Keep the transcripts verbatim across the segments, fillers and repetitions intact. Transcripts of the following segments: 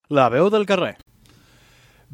La veu del carrer.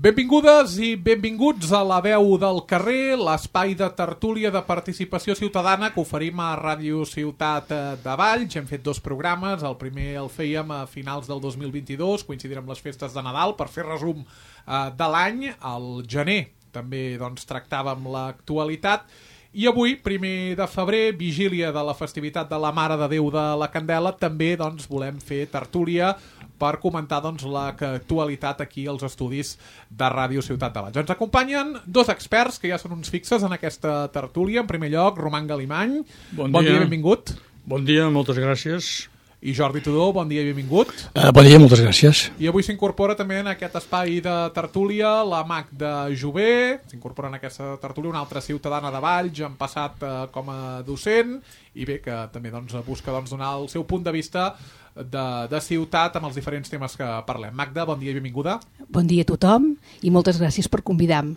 Benvingudes i benvinguts a La veu del carrer, l'espai de tertúlia de participació ciutadana que oferim a Ràdio Ciutat de Valls. Hem fet dos programes, el primer el fèiem a finals del dos mil vint-i-dos, coincidirà amb les festes de Nadal, per fer resum eh, de l'any. Al gener també doncs, tractàvem l'actualitat. I avui, primer de febrer, vigília de la festivitat de la Mare de Déu de la Candela, també doncs, volem fer tertúlia per comentar doncs, l'actualitat aquí als estudis de Ràdio Ciutat de Valls. Ens acompanyen dos experts que ja són uns fixes en aquesta tertúlia. En primer lloc, Roman Galimany. Bon, bon dia. dia, benvingut. Bon dia, moltes gràcies. I Jordi Tudó, bon dia i benvingut. Uh, bon dia, moltes gràcies. I avui s'incorpora també en aquest espai de tertúlia la Magda Jové. S'incorpora en aquesta tertúlia una altra ciutadana de Valls, en passat eh, com a docent, i bé, que també doncs, busca doncs, donar el seu punt de vista de, de ciutat amb els diferents temes que parlem. Magda, bon dia i benvinguda. Bon dia a tothom i moltes gràcies per convidar-me.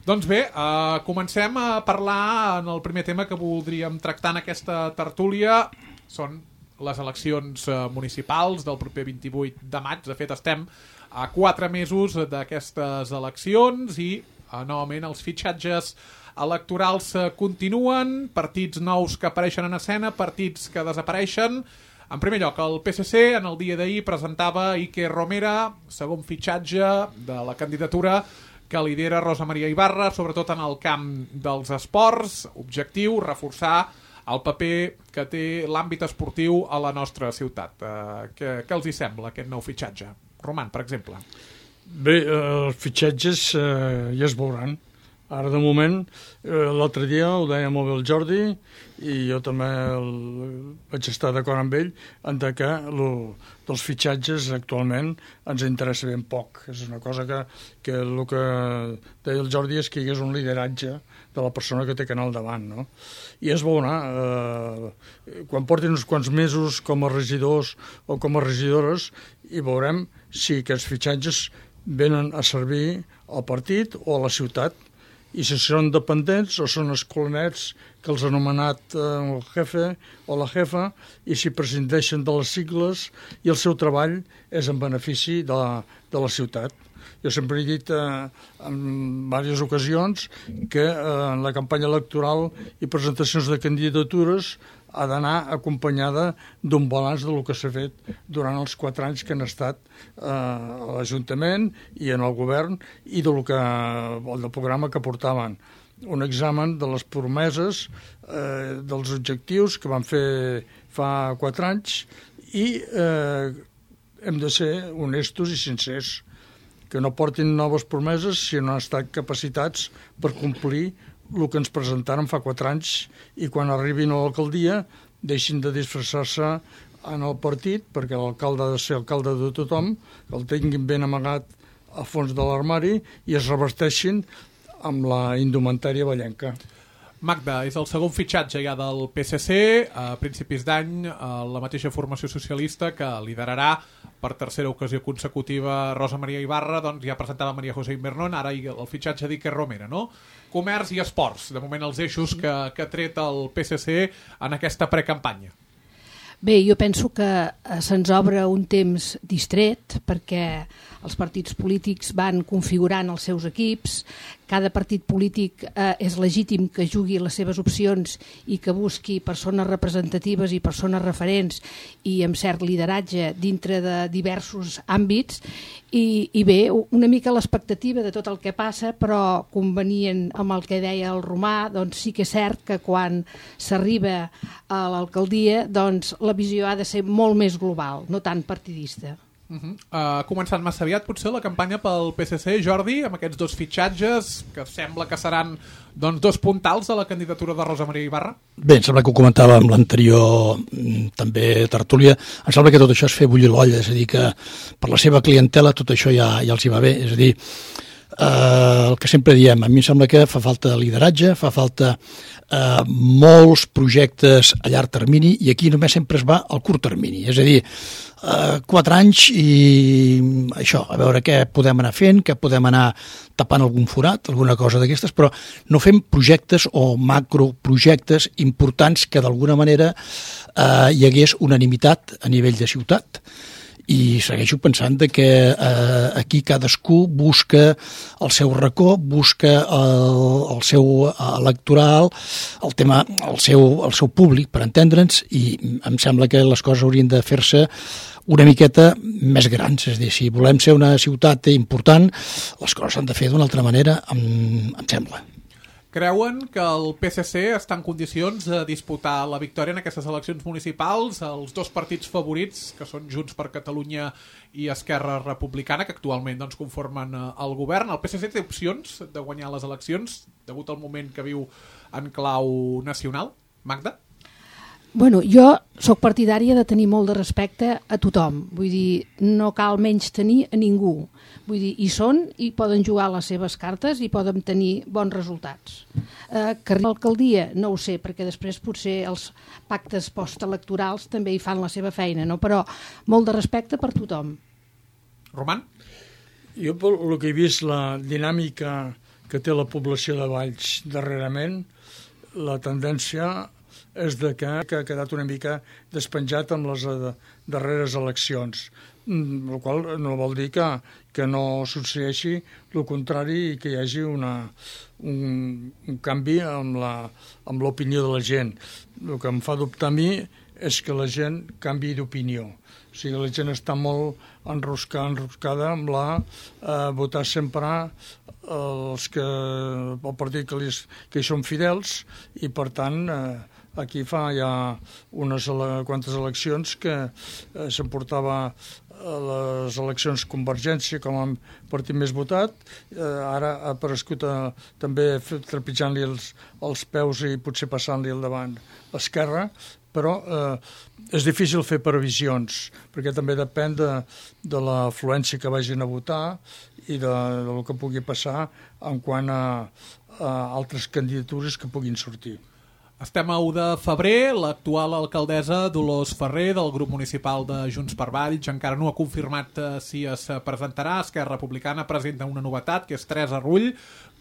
Doncs bé, eh, comencem a parlar en el primer tema que voldríem tractar en aquesta tertúlia. Són les eleccions eh, municipals del proper vint-i-vuit de maig. De fet, estem a quatre mesos d'aquestes eleccions i eh, novament els fitxatges electorals eh, continuen, partits nous que apareixen en escena, partits que desapareixen. En primer lloc, el P S C en el dia d'ahir presentava Iker Romera, segon fitxatge de la candidatura que lidera Rosa Maria Ibarra, sobretot en el camp dels esports. Objectiu, reforçar el paper que té l'àmbit esportiu a la nostra ciutat. Eh, què, què els hi sembla aquest nou fitxatge? Roman, per exemple. Bé, eh, els fitxatges eh, ja es veuran. Ara, de moment, eh, l'altre dia ho deia molt bé el Jordi i jo també el, vaig estar d'acord amb ell en que lo, dels fitxatges actualment ens interessa ben poc. És una cosa que, que el que deia el Jordi és que hi hagués un lideratge de la persona que té que anar al davant, no? I es veurà, eh, quan portin uns quants mesos com a regidors o com a regidores, i veurem si aquests fitxatges venen a servir al partit o a la ciutat, i si són dependents o són escolanets que els ha anomenat eh, el jefe o la jefa, i si prescindeixen de les sigles i el seu treball és en benefici de la, de la ciutat. Jo sempre he dit eh, en diverses ocasions que eh, en la campanya electoral i presentacions de candidatures ha d'anar acompanyada d'un balanç del que s'ha fet durant els quatre anys que han estat eh, a l'Ajuntament i en el govern i del que, el del programa que portaven. Un examen de les promeses, eh, dels objectius que van fer fa quatre anys i eh, hem de ser honestos i sincers, que no portin noves promeses si no han estat capacitats per complir el que ens presentaren fa quatre anys i quan arribin a l'alcaldia deixin de disfressar-se en el partit, perquè l'alcalde ha de ser alcalde de tothom, que el tinguin ben amagat a fons de l'armari i es revesteixin amb la indumentària vallenca. Magda, és el segon fitxatge ja del P S C, a principis d'any la mateixa formació socialista que liderarà per tercera ocasió consecutiva Rosa Maria Ibarra, doncs ja presentava Maria José Invernon, ara el fitxatge d'Iker Romera, no? Comerç i esports, de moment els eixos que, que ha tret el P S C en aquesta precampanya. Bé, jo penso que eh, se'ns obre un temps distret perquè els partits polítics van configurant els seus equips, cada partit polític eh, és legítim que jugui les seves opcions i que busqui persones representatives i persones referents i amb cert lideratge dintre de diversos àmbits i, i bé, una mica l'expectativa de tot el que passa, però convenient amb el que deia el Romà, doncs sí que és cert que quan s'arriba a l'alcaldia doncs la visió ha de ser molt més global, no tant partidista. Uh -huh. Ha començat massa aviat potser la campanya pel P S C, Jordi, amb aquests dos fitxatges que sembla que seran doncs, dos puntals de la candidatura de Rosa Maria Ibarra? Bé, em sembla que ho comentava amb l'anterior també tertúlia, em sembla que tot això és fer bullir l'olla, és a dir, que per la seva clientela tot això ja, ja els hi va bé, és a dir, eh, el que sempre diem, a mi em sembla que fa falta lideratge, fa falta eh, molts projectes a llarg termini i aquí només sempre es va al curt termini, és a dir, eh, quatre anys i això, a veure què podem anar fent, què podem anar tapant algun forat, alguna cosa d'aquestes, però no fem projectes o macroprojectes importants que d'alguna manera eh, hi hagués unanimitat a nivell de ciutat i segueixo pensant de que eh, aquí cadascú busca el seu racó, busca el, el seu electoral, el tema, el seu, el seu públic, per entendre'ns, i em sembla que les coses haurien de fer-se una miqueta més grans. És a dir, si volem ser una ciutat important, les coses s'han de fer d'una altra manera, em, em sembla. Creuen que el P S C està en condicions de disputar la victòria en aquestes eleccions municipals? Els dos partits favorits, que són Junts per Catalunya i Esquerra Republicana, que actualment doncs, conformen el govern. El P S C té opcions de guanyar les eleccions, degut al moment que viu en clau nacional? Magda? Bueno, jo sóc partidària de tenir molt de respecte a tothom. Vull dir, no cal menys tenir a ningú. Vull dir, hi són i poden jugar les seves cartes i poden tenir bons resultats. Eh, que arriba a l'alcaldia, no ho sé, perquè després potser els pactes postelectorals també hi fan la seva feina, no? Però molt de respecte per tothom. Roman? Jo, pel que he vist, la dinàmica que té la població de Valls darrerament, la tendència és de que, que ha quedat una mica despenjat amb les darreres eleccions, el qual no vol dir que, que no succeeixi el contrari i que hi hagi una, un, un canvi amb la, amb l'opinió de la gent. El que em fa dubtar a mi és que la gent canvi d'opinió. O sigui, la gent està molt enroscada, enroscada amb la eh, votar sempre els que, el partit que, li, que hi són fidels, i per tant eh, aquí fa ja unes quantes eleccions que eh, s'emportava a les eleccions Convergència com a partit més votat, eh, ara ha aparegut a, també trepitjant-li els, els peus i potser passant-li al davant l'Esquerra, però eh, és difícil fer previsions, perquè també depèn de, de l'afluència que vagin a votar i de, de lo que pugui passar en quant a, a altres candidatures que puguin sortir. Estem a u de febrer, l'actual alcaldessa Dolors Ferrer del grup municipal de Junts per Valls encara no ha confirmat eh, si es presentarà. Esquerra Republicana presenta una novetat, que és Teresa Rull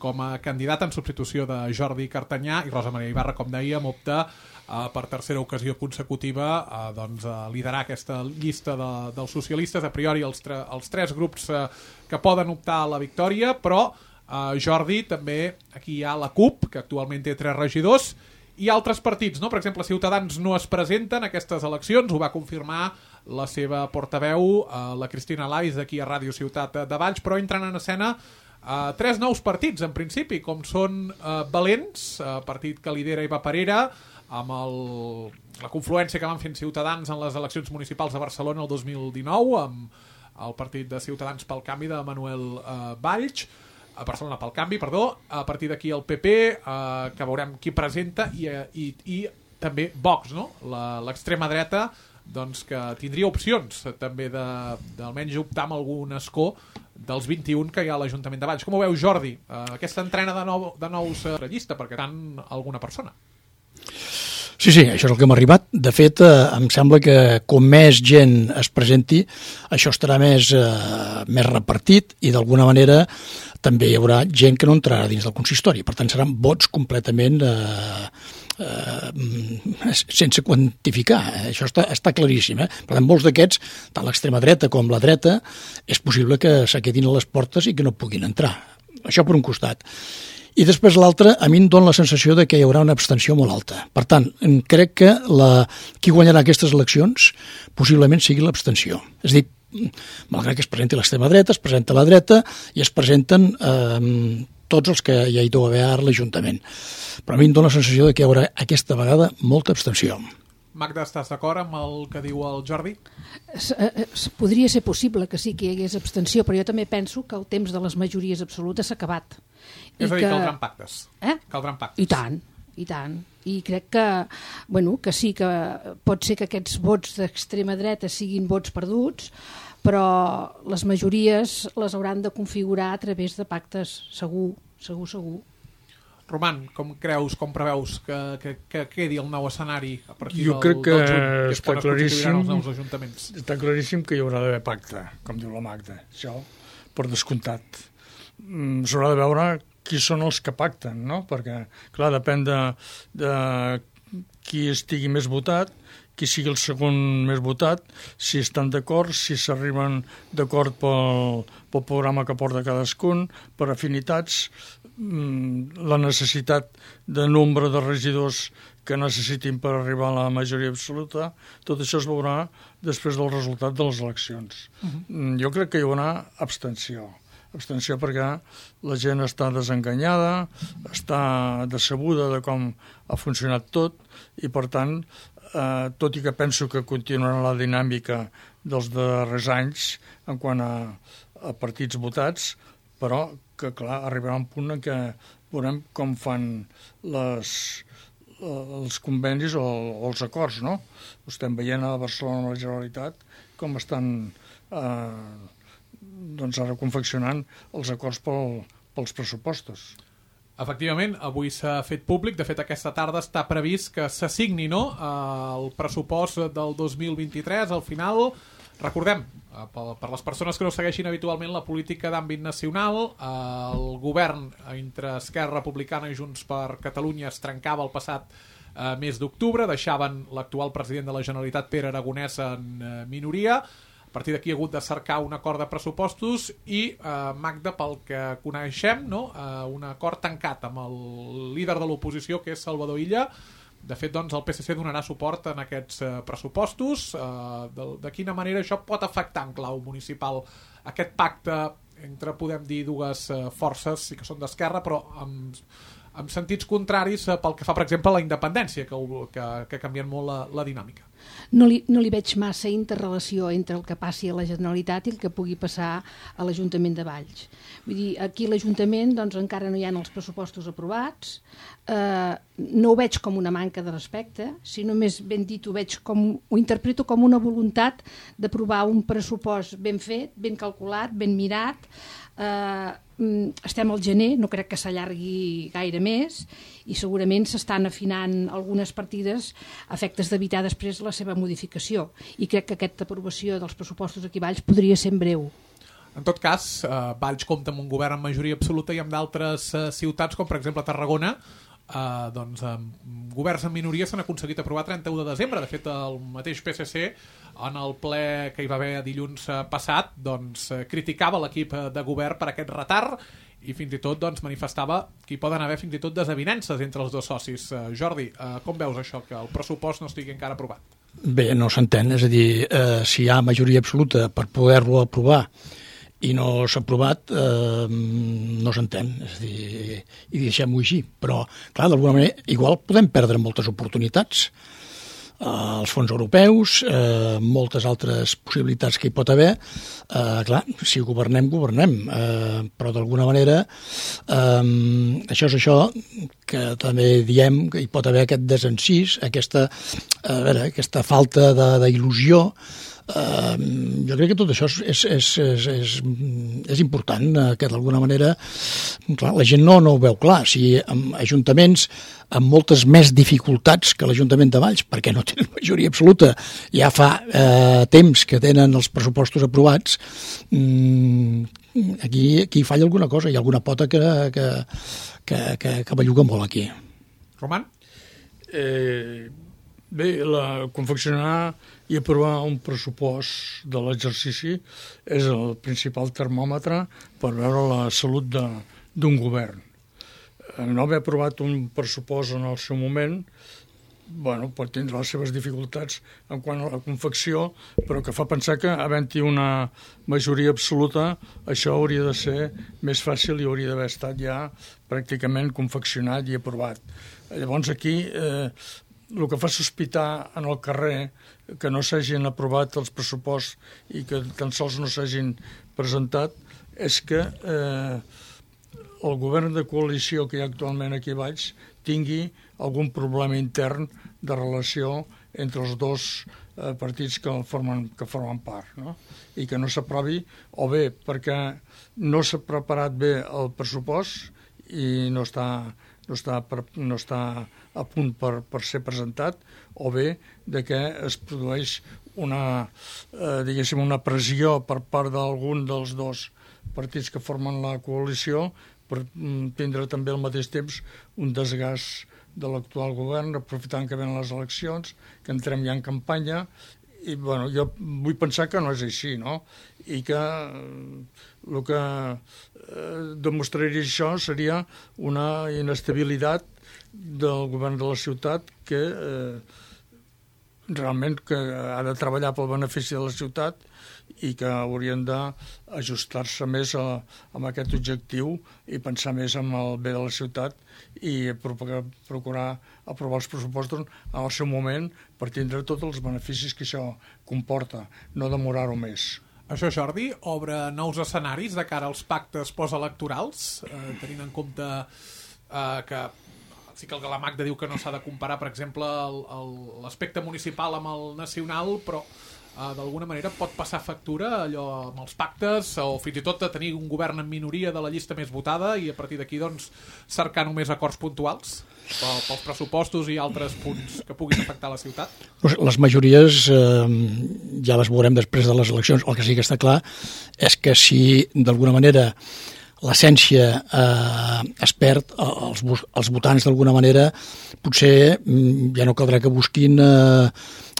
com a candidata en substitució de Jordi Cartanyà, i Rosa Maria Ibarra, com dèiem, opta eh, per tercera ocasió consecutiva eh, doncs, a liderar aquesta llista de, dels socialistes. A priori els, tre els tres grups eh, que poden optar a la victòria, però eh, Jordi també, aquí hi ha la CUP, que actualment té tres regidors, i altres partits, no? Per exemple, Ciutadans no es presenta en aquestes eleccions, ho va confirmar la seva portaveu, eh, la Cristina Lais, aquí a Ràdio Ciutat de Valls, però entren en escena eh, tres nous partits, en principi, com són eh, Valents, eh, partit que lidera Eva Parera, amb el, la confluència que van fent Ciutadans en les eleccions municipals de Barcelona el dos mil dinou, amb el partit de Ciutadans pel Canvi de Manuel eh, Valls, a Barcelona pel Canvi, perdó, a partir d'aquí el P P, eh, que veurem qui presenta, i, i, i també Vox, no? L'extrema dreta, doncs, que tindria opcions també d'almenys optar amb algun escó dels vint-i-un que hi ha a l'Ajuntament de Valls. Com ho veu, Jordi? Eh, aquesta entrena de, nou, de nous eh, llista, perquè tant alguna persona. Sí, sí, això és el que m'ha arribat. De fet, eh, em sembla que com més gent es presenti, això estarà més, eh, més repartit, i d'alguna manera també hi haurà gent que no entrarà dins del consistori. Per tant, seran vots completament eh, eh, sense quantificar. Això està, està claríssim. Eh? Per tant, molts d'aquests, tant l'extrema dreta com la dreta, és possible que s'aquedin a les portes i que no puguin entrar. Això per un costat. I després l'altre, a mi em dona la sensació de que hi haurà una abstenció molt alta. Per tant, crec que la, qui guanyarà aquestes eleccions possiblement sigui l'abstenció. És a dir, malgrat que es presenti l'extrema dreta, es presenta la dreta i es presenten eh, tots els que hi ha idò haver a l'Ajuntament. Però a mi em dona la sensació de que hi haurà aquesta vegada molta abstenció. Magda, estàs d'acord amb el que diu el Jordi? Podria ser possible que sí que hi hagués abstenció, però jo també penso que el temps de les majories absolutes s'ha acabat. És a dir, que... caldran pactes. Eh? Caldran pactes. I tant, i tant. I crec que, bueno, que sí, que pot ser que aquests vots d'extrema dreta siguin vots perduts, però les majories les hauran de configurar a través de pactes, segur, segur, segur. Roman, com creus, com preveus que, que, que quedi el nou escenari a partir jo del, crec que del juny, que és està quan claríssim, els nous ajuntaments? Està claríssim que hi haurà d'haver pacte, com diu la Magda, això per descomptat. Mm, s'haurà de veure qui són els que pacten, no? Perquè, clar, depèn de, de qui estigui més votat qui sigui el segon més votat, si estan d'acord, si s'arriben d'acord pel, pel programa que porta cadascun, per afinitats, la necessitat de nombre de regidors que necessitin per arribar a la majoria absoluta, tot això es veurà després del resultat de les eleccions. Uh-huh. Jo crec que hi haurà abstenció. Abstenció perquè la gent està desenganyada, està decebuda de com ha funcionat tot i, per tant, eh, tot i que penso que continuarà la dinàmica dels darrers anys en quant a, a partits votats, però que, clar, arribarà un punt en què veurem com fan les, els convenis o, o els acords, no? Ho estem veient a Barcelona, a la Generalitat, com estan eh, doncs ara confeccionant els acords pel, pels pressupostos. Efectivament, avui s'ha fet públic, de fet aquesta tarda està previst que s'assigni, no?, el pressupost del dos mil vint-i-tres. Al final, recordem, per les persones que no segueixin habitualment la política d'àmbit nacional, el govern entre Esquerra Republicana i Junts per Catalunya es trencava el passat eh, mes d'octubre, deixaven l'actual president de la Generalitat, Pere Aragonès, en eh, minoria. A partir d'aquí ha hagut de cercar un acord de pressupostos i, eh, Magda, pel que coneixem, no?, eh, un acord tancat amb el líder de l'oposició, que és Salvador Illa. De fet, doncs, el P S C donarà suport en aquests eh, pressupostos. Eh, de, de quina manera això pot afectar en clau municipal aquest pacte entre, podem dir, dues eh, forces, sí que són d'esquerra, però amb, amb sentits contraris eh, pel que fa, per exemple, a la independència, que, que, que canvien molt la, la dinàmica. No li, no li veig massa interrelació entre el que passi a la Generalitat i el que pugui passar a l'Ajuntament de Valls. Vull dir, aquí l'Ajuntament doncs, encara no hi ha els pressupostos aprovats, eh, no ho veig com una manca de respecte, sinó més ben dit ho veig com, ho interpreto com una voluntat d'aprovar un pressupost ben fet, ben calculat, ben mirat. Eh, estem al gener, no crec que s'allargui gaire més i segurament s'estan afinant algunes partides a efectes d'evitar després la seva modificació, i crec que aquesta aprovació dels pressupostos aquí a Valls podria ser en breu. En tot cas, eh, Valls compta amb un govern en majoria absoluta i amb d'altres eh, ciutats, com per exemple Tarragona, eh, doncs, amb governs en minoria s'han aconseguit aprovar trenta-u de desembre. De fet, el mateix P S C, en el ple que hi va haver dilluns passat, doncs, eh, criticava l'equip de govern per aquest retard i fins i tot doncs, manifestava que hi poden haver fins i tot desavinences entre els dos socis. Eh, Jordi, eh, com veus això, que el pressupost no estigui encara aprovat? Bé, no s'entén, és a dir, eh, si hi ha majoria absoluta per poder-lo aprovar i no s'ha aprovat, eh, no s'entén, és a dir, i deixem-ho així. Però, clar, d'alguna manera, igual podem perdre moltes oportunitats, eh, els fons europeus, eh, moltes altres possibilitats que hi pot haver. Eh, clar, si governem, governem, eh, però d'alguna manera eh, això és això que també diem que hi pot haver aquest desencís, aquesta, a veure, aquesta falta d'il·lusió. Uh, jo crec que tot això és, és, és, és, és important, uh, que d'alguna manera clar, la gent no, no ho veu clar. Si amb ajuntaments amb moltes més dificultats que l'Ajuntament de Valls, perquè no tenen majoria absoluta, ja fa uh, temps que tenen els pressupostos aprovats, um, aquí, aquí falla alguna cosa, hi ha alguna pota que, que, que, que, que belluga molt aquí. Roman? Eh, bé, la, confeccionar i aprovar un pressupost de l'exercici és el principal termòmetre per veure la salut d'un govern. No haver aprovat un pressupost en el seu moment, bueno, pot tindre les seves dificultats en quant a la confecció, però que fa pensar que, havent-hi una majoria absoluta, això hauria de ser més fàcil i hauria d'haver estat ja pràcticament confeccionat i aprovat. Llavors aquí eh, el que fa sospitar en el carrer que no s'hagin aprovat els pressuposts i que tan sols no s'hagin presentat és que eh, el govern de coalició que hi ha actualment aquí baix tingui algun problema intern de relació entre els dos eh, partits que formen, que formen part, no? I que no s'aprovi, o bé perquè no s'ha preparat bé el pressupost i no està, no està, per, no està a punt per, per ser presentat, o bé de que es produeix una, eh, diguéssim, una pressió per part d'algun dels dos partits que formen la coalició per tindre també al mateix temps un desgast de l'actual govern, aprofitant que venen les eleccions, que entrem ja en campanya, i bueno, jo vull pensar que no és així, no? I que el que eh, demostraria això seria una inestabilitat del govern de la ciutat que eh, realment que ha de treballar pel benefici de la ciutat i que haurien d'ajustar-se més a, a aquest objectiu i pensar més en el bé de la ciutat i procurar aprovar els pressupostos en el seu moment per tindre tots els beneficis que això comporta, no demorar-ho més. Això, Jordi, obre nous escenaris de cara als pactes postelectorals, eh, tenint en compte eh, que sí que la Magda diu que no s'ha de comparar, per exemple, l'aspecte municipal amb el nacional, però Uh, d'alguna manera pot passar factura allò amb els pactes o fins i tot de tenir un govern en minoria de la llista més votada i a partir d'aquí doncs cercar només acords puntuals pel, pels pressupostos i altres punts que puguin afectar la ciutat. Les majories eh, ja les veurem després de les eleccions. El que sí que està clar és que si d'alguna manera l'essència eh, es perd, els, els votants d'alguna manera potser ja no caldrà que busquin eh,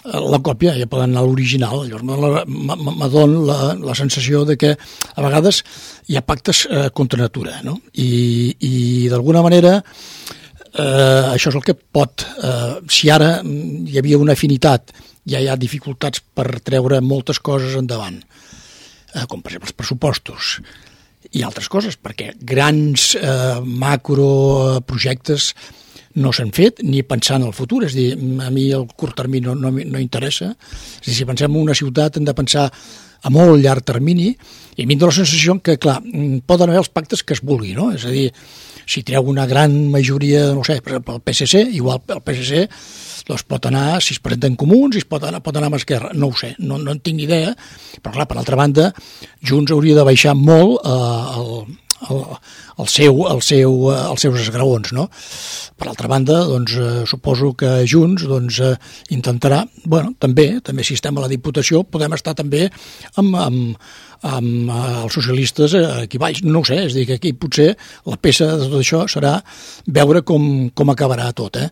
la còpia, ja poden anar a l'original. Llavors me dona la, la sensació de que a vegades hi ha pactes eh, contra natura, no? I, i d'alguna manera eh, això és el que pot eh, si ara hi havia una afinitat, ja hi ha dificultats per treure moltes coses endavant, eh, com per exemple els pressupostos i altres coses, perquè grans eh, macroprojectes no s'han fet ni pensant en el futur, és a dir, a mi el curt termini no, no, no interessa. És a dir, si pensem en una ciutat hem de pensar a molt llarg termini i a mi em dóna la sensació que, clar, poden haver els pactes que es vulgui, no? És a dir, si treu una gran majoria, no sé, per exemple, el P S C, igual el P S C doncs pot anar, si es presenten comuns, si es pot anar, pot anar amb Esquerra, no ho sé, no, no en tinc idea, però clar, per altra banda, Junts hauria de baixar molt eh, el El, el seu, el seu, els seus esgraons, no? Per altra banda, doncs, eh, suposo que Junts doncs, eh, intentarà, bueno, també, també si estem a la Diputació, podem estar també amb, amb, amb eh, els socialistes aquí baix, no ho sé, és a dir, que aquí potser la peça de tot això serà veure com, com acabarà tot, eh?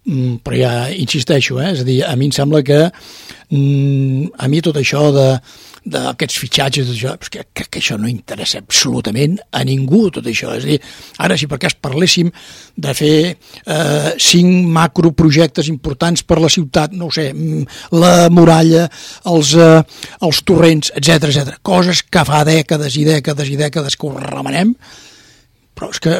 Mm, però ja insisteixo, eh? És a dir, a mi em sembla que mm, a mi tot això de d'aquests fitxatges, això, que, que, que això no interessa absolutament a ningú, tot això. És a dir, ara si per cas parléssim de fer eh, cinc macroprojectes importants per la ciutat, no ho sé, la muralla, els, eh, els torrents, etcètera, etcètera, coses que fa dècades i dècades i dècades que ho remenem, però és que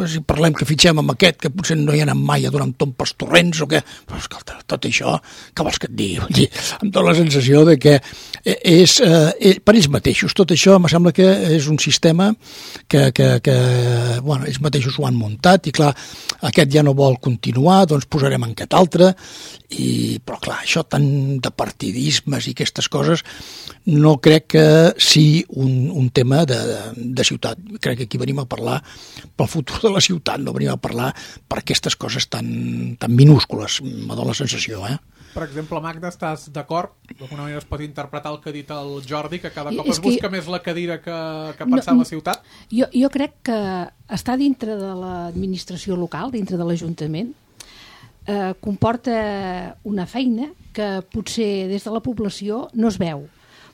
si parlem que fitxem amb aquest, que potser no hi ha anat mai a donar un tomb pels torrents o què, però escolta, tot això, què vols que et digui? Vull dir, em dóna la sensació de que és, eh, per ells mateixos, tot això em sembla que és un sistema que, que, que bueno, ells mateixos ho han muntat i clar, aquest ja no vol continuar, doncs posarem en aquest altre, i, però clar, això tant de partidismes i aquestes coses no crec que sigui un, un tema de, de ciutat. Crec que aquí venim a parlar pel futur de la ciutat, no venim a parlar per aquestes coses tan, tan minúscules, me dóna la sensació, eh? Per exemple, Magda, estàs d'acord? D'alguna manera es pot interpretar el que ha dit el Jordi, que cada cop és es busca que... més la cadira que, que pensar no, en la ciutat? Jo, jo crec que estar dintre de l'administració local, dintre de l'Ajuntament, eh, comporta una feina que potser des de la població no es veu.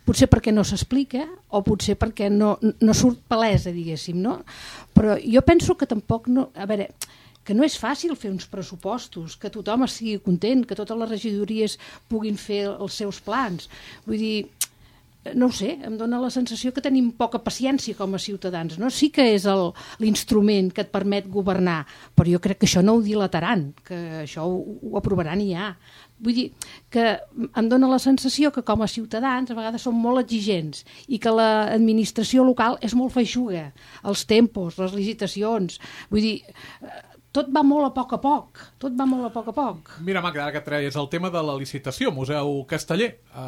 Potser perquè no s'explica o potser perquè no, no surt palesa, diguéssim, no? Però jo penso que tampoc no... A veure, que no és fàcil fer uns pressupostos, que tothom estigui content, que totes les regidories puguin fer els seus plans. Vull dir, no ho sé, em dóna la sensació que tenim poca paciència com a ciutadans, no? Sí que és l'instrument que et permet governar, però jo crec que això no ho dilataran, que això ho, ho aprovaran i ja. Vull dir que em dóna la sensació que com a ciutadans a vegades som molt exigents i que l'administració local és molt feixuga, els tempos, les licitacions, vull dir, tot va molt a poc a poc, tot va molt a poc a poc. Mira, Magda, ara que treies el tema de la licitació, Museu Casteller, eh,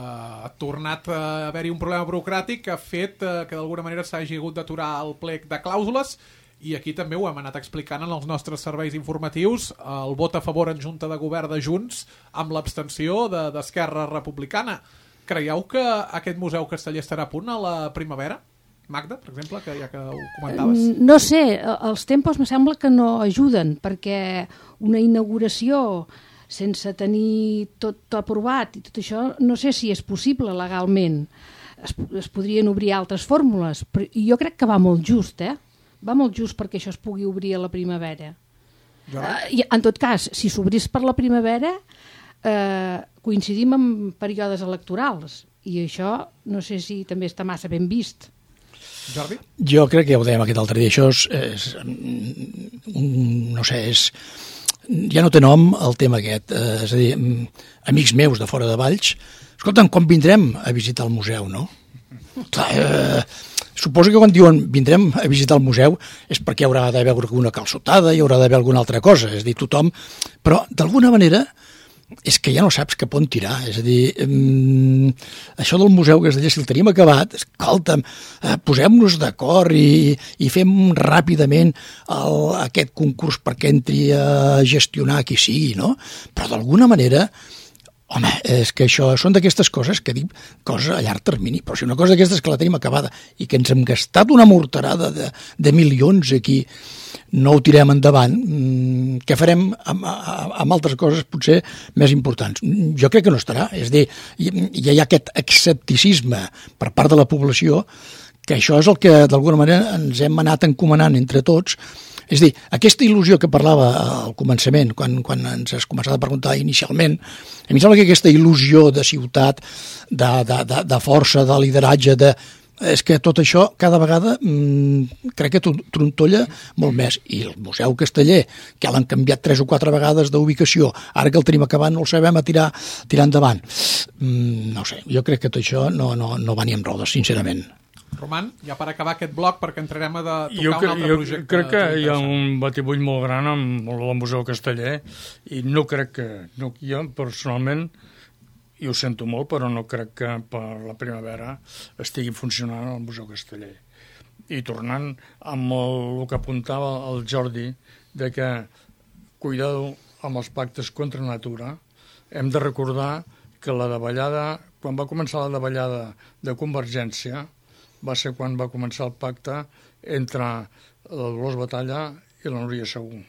ha tornat a haver-hi un problema burocràtic que ha fet eh, que d'alguna manera s'hagi hagut d'aturar el plec de clàusules. I aquí també ho hem anat explicant en els nostres serveis informatius, el vot a favor en Junta de Govern de Junts amb l'abstenció d'Esquerra Republicana. Creieu que aquest Museu Casteller estarà a punt a la primavera? Magda, per exemple, que ja que ho comentaves? No sé, els tempos me sembla que no ajuden, perquè una inauguració sense tenir tot aprovat i tot això, no sé si és possible legalment. Es, es podrien obrir altres fórmules, però jo crec que va molt just, eh? Va molt just perquè això es pugui obrir a la primavera. Uh, i, en tot cas, si s'obrís per la primavera, uh, coincidim amb períodes electorals, i això no sé si també està massa ben vist. Jordi? Jo crec que ja ho dèiem aquest altre dia, això és, és un, no sé, és, ja no té nom el tema aquest, eh, és a dir, amics meus de fora de Valls, escolta'm, quan vindrem a visitar el museu, no? Clar, eh, suposo que quan diuen vindrem a visitar el museu és perquè hi haurà d'haver alguna calçotada, hi haurà d'haver alguna altra cosa, és a dir, tothom, però d'alguna manera és que ja no saps cap on tirar, és a dir, um, això del museu Casteller, si el tenim acabat, escolta'm, eh, posem-nos d'acord i, i fem ràpidament el, aquest concurs perquè entri a gestionar qui sigui, no? Però d'alguna manera, home, és que això són d'aquestes coses que dic coses a llarg termini, però si una cosa d'aquestes que la tenim acabada i que ens hem gastat una morterada de, de milions aquí, no ho tirem endavant, què farem amb, amb altres coses potser més importants? Jo crec que no estarà, és a dir, ja hi ha aquest escepticisme per part de la població, que això és el que d'alguna manera ens hem anat encomanant entre tots. És a dir, aquesta il·lusió que parlava al començament, quan, quan ens has començat a preguntar inicialment, a mi em sembla que aquesta il·lusió de ciutat, de, de, de, de força, de lideratge, de és que tot això cada vegada mmm, crec que trontolla molt més. I el Museu Casteller, que l'han canviat tres o quatre vegades d'ubicació, ara que el tenim acabat no el sabem a tirar, tirar endavant. Mm, no sé, jo crec que tot això no, no, no va ni amb rodes, sincerament. Roman, ja per acabar aquest bloc, perquè entrarem a de tocar jo, un altre jo projecte. Jo crec que hi ha un batibull molt gran amb el Museu Casteller i no crec que... No, jo personalment... i ho sento molt, però no crec que per la primavera estigui funcionant el Museu Casteller. I tornant amb el, el que apuntava el Jordi, de que cuidado amb els pactes contra natura, hem de recordar que la davallada, quan va començar la davallada de Convergència, va ser quan va començar el pacte entre el Dolors Batalla i la Núria Segú.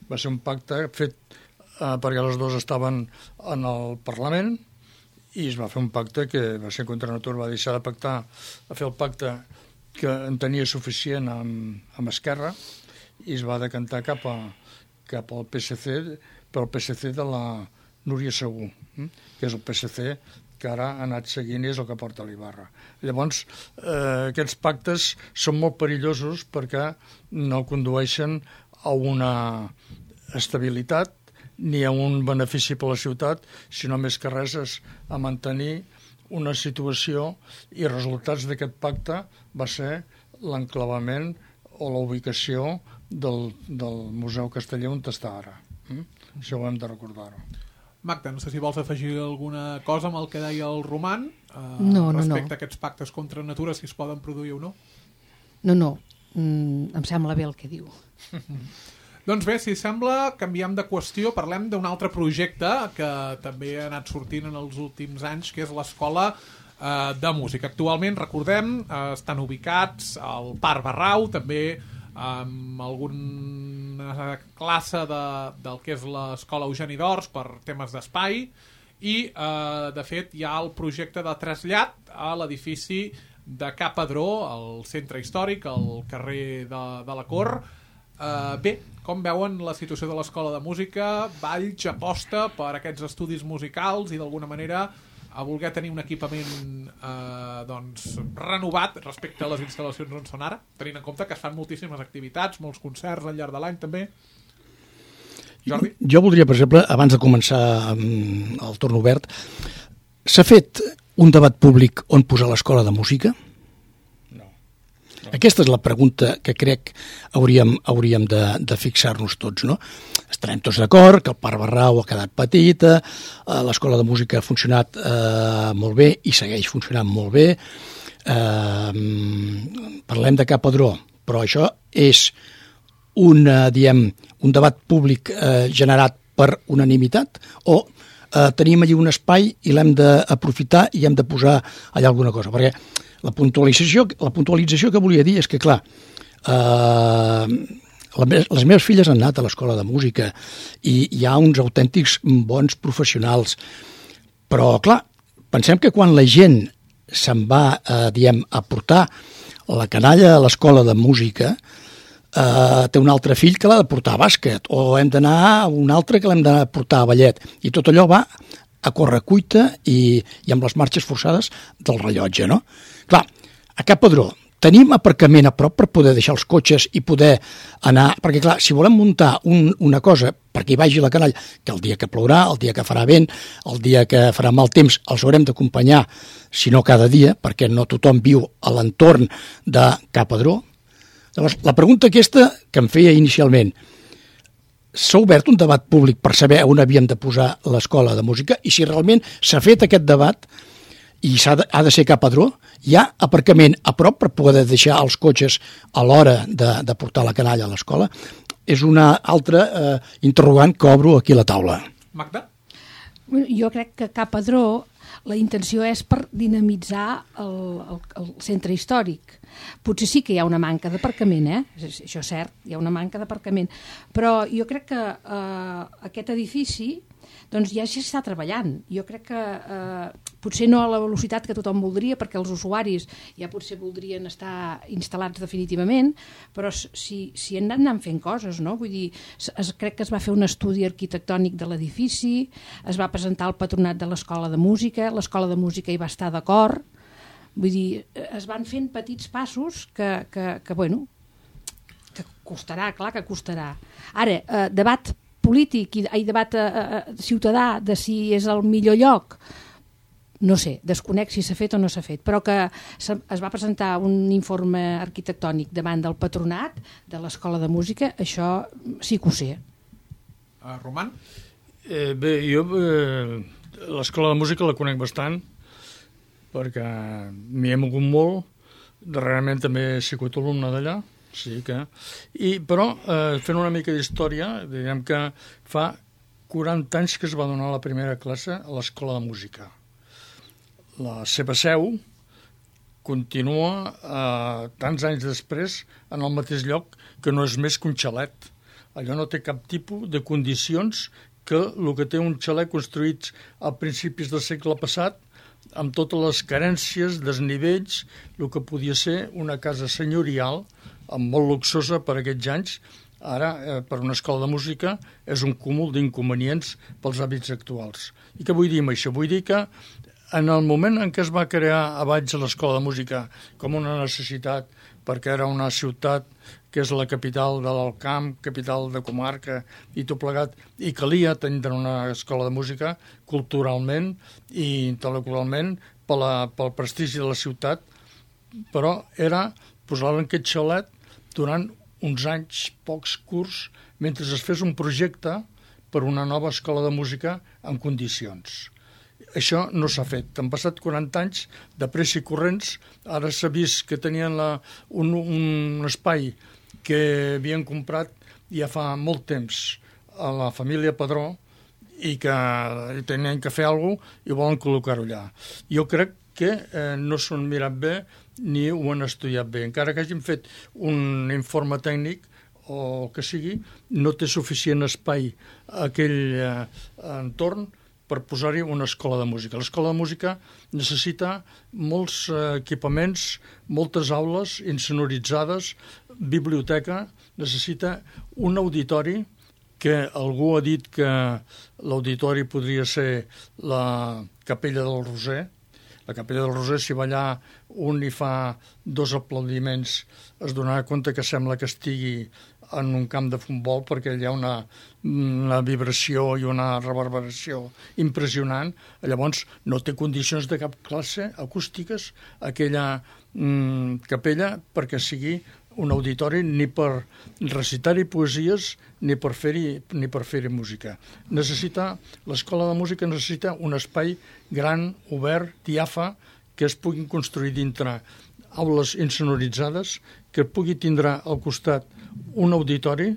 Va ser un pacte fet eh, perquè les dues estaven en el Parlament, i es va fer un pacte que va ser contra natura, va deixar de pactar, a fer el pacte que en tenia suficient amb, amb Esquerra, i es va decantar cap, a, cap al P S C, pel P S C de la Núria Segú, eh? que és el P S C que ara ha anat seguint i és el que porta l'Ibarra. Llavors, eh, aquests pactes són molt perillosos perquè no condueixen a una estabilitat ni a un benefici per a la ciutat, sinó més que res és a mantenir una situació, i resultats d'aquest pacte va ser l'enclavament o la ubicació del, del Museu Casteller on està ara. Mm? Això ho hem de recordar-ho. Magda, no sé si vols afegir alguna cosa amb el que deia el Roman eh, no, no, respecte no. a aquests pactes contra natura, si es poden produir o no. No, no, mm, em sembla bé el que diu. Doncs bé, si sembla, canviem de qüestió, parlem d'un altre projecte que també ha anat sortint en els últims anys, que és l'Escola eh, de Música. Actualment, recordem, eh, estan ubicats al Parc Barrau, també amb alguna classe de, del que és l'Escola Eugeni d'Ors per temes d'espai, i eh, de fet hi ha el projecte de trasllat a l'edifici de Ca Padró, al centre històric, al carrer de, de la Cor. Uh, bé, com veuen la situació de l'Escola de Música? Valls aposta per aquests estudis musicals i d'alguna manera a voler tenir un equipament eh, doncs, renovat respecte a les instal·lacions on són ara, tenint en compte que es fan moltíssimes activitats, molts concerts al llarg de l'any també. Jordi? Jo voldria, per exemple, abans de començar el torn obert, s'ha fet un debat públic on posar l'Escola de Música? Aquesta és la pregunta que crec hauríem, hauríem de, de fixar-nos tots, no? Estarem tots d'acord que el Parc Barrau ha quedat petita, eh, l'Escola de Música ha funcionat eh, molt bé i segueix funcionant molt bé. Eh, parlem de Ca Padró, però això és una, diem, un debat públic eh, generat per unanimitat o eh, tenim allí un espai i l'hem d'aprofitar i hem de posar allà alguna cosa, perquè La puntualització, la puntualització que volia dir és que, clar, eh, les meves filles han anat a l'escola de música i hi ha uns autèntics bons professionals. Però, clar, pensem que quan la gent se'n va, eh, diem, a portar la canalla a l'escola de música, eh, té un altre fill que l'ha de portar a bàsquet, o hem d'anar a un altre que l'hem de portar a ballet. I tot allò va a correcuita i, i amb les marxes forçades del rellotge, no? Clar, a Cap Pedró tenim aparcament a prop per poder deixar els cotxes i poder anar... Perquè, clar, si volem muntar un, una cosa perquè hi vagi la canalla, que el dia que plourà, el dia que farà vent, el dia que farà mal temps, els haurem d'acompanyar, si no cada dia, perquè no tothom viu a l'entorn de Cap Pedró. Llavors, la pregunta aquesta que em feia inicialment, s'ha obert un debat públic per saber on havíem de posar l'escola de música i si realment s'ha fet aquest debat i s'ha de, ha de ser Cap Pedró, hi ha aparcament a prop per poder deixar els cotxes a l'hora de, de portar la canalla a l'escola? És una altra eh, interrogant que obro aquí a la taula. Magda? Jo crec que Cap Pedró la intenció és per dinamitzar el, el, el centre històric. Potser sí que hi ha una manca d'aparcament, eh? Això és cert, hi ha una manca d'aparcament. Però jo crec que eh, aquest edifici doncs ja s'està treballant. Jo crec que eh, potser no a la velocitat que tothom voldria, perquè els usuaris ja potser voldrien estar instal·lats definitivament, però si, si han anat fent coses, no? Vull dir, es, crec que es va fer un estudi arquitectònic de l'edifici, es va presentar al patronat de l'Escola de Música, l'Escola de Música hi va estar d'acord, vull dir, es van fent petits passos que, que, que bueno, que costarà, clar que costarà. Ara, eh, debat polític i, i debat eh, ciutadà de si és el millor lloc, no sé, desconec si s'ha fet o no s'ha fet, però que es va presentar un informe arquitectònic davant del patronat de l'Escola de Música, això sí que ho sé. Uh, Roman? Eh, bé, jo eh, l'Escola de Música la conec bastant, perquè m'hi he mogut molt, darrerament també he sigut alumne d'allà, sí que... I, però, eh, fent una mica d'història, diguem que fa quaranta anys que es va donar la primera classe a l'Escola de Música. La seva seu continua eh, tants anys després en el mateix lloc, que no és més que un xalet. Allò no té cap tipus de condicions que el que té un xalet construït a principis del segle passat, amb totes les carències, desnivells, el que podia ser una casa senyorial, molt luxosa per aquests anys. Ara, eh, per una escola de música, és un cúmul d'inconvenients pels hàbits actuals. I què vull dir amb això? Vull dir que en el moment en què es va crear a Valls l'Escola de Música com una necessitat, perquè era una ciutat que és la capital de l'Alt Camp, capital de comarca i tot plegat, i calia tenir una escola de música culturalment i intel·lectualment per la, pel prestigi de la ciutat, però era posar-la en aquest xalet durant uns anys, pocs curts, mentre es fes un projecte per una nova escola de música en condicions. Això no s'ha fet. Han passat quaranta anys de pressa i corrents. Ara s'ha vist que tenien la, un, un espai que havien comprat ja fa molt temps a la família Pedró i que tenien que fer alguna cosa i volen col·locar-ho allà. Jo crec que eh, no s'ho han mirat bé ni ho han estudiat bé. Encara que hagin fet un informe tècnic o el que sigui, no té suficient espai a aquell eh, entorn per posar-hi una escola de música. L'escola de música necessita molts eh, equipaments, moltes aules insonoritzades, biblioteca, necessita un auditori, que algú ha dit que l'auditori podria ser la Capella del Roser. La Capella del Roser, si va allà un i fa dos aplaudiments, es donarà compte que sembla que estigui en un camp de futbol, perquè hi ha una, una vibració i una reverberació impressionant. Llavors no té condicions de cap classe acústiques aquella mm, capella perquè sigui un auditori ni per recitar-hi poesies ni per fer-hi ni per fer-hi música. Necessita, l'escola de música necessita un espai gran, obert, diàfa, que es puguin construir dintre aules insonoritzades, que pugui tindre al costat un auditori,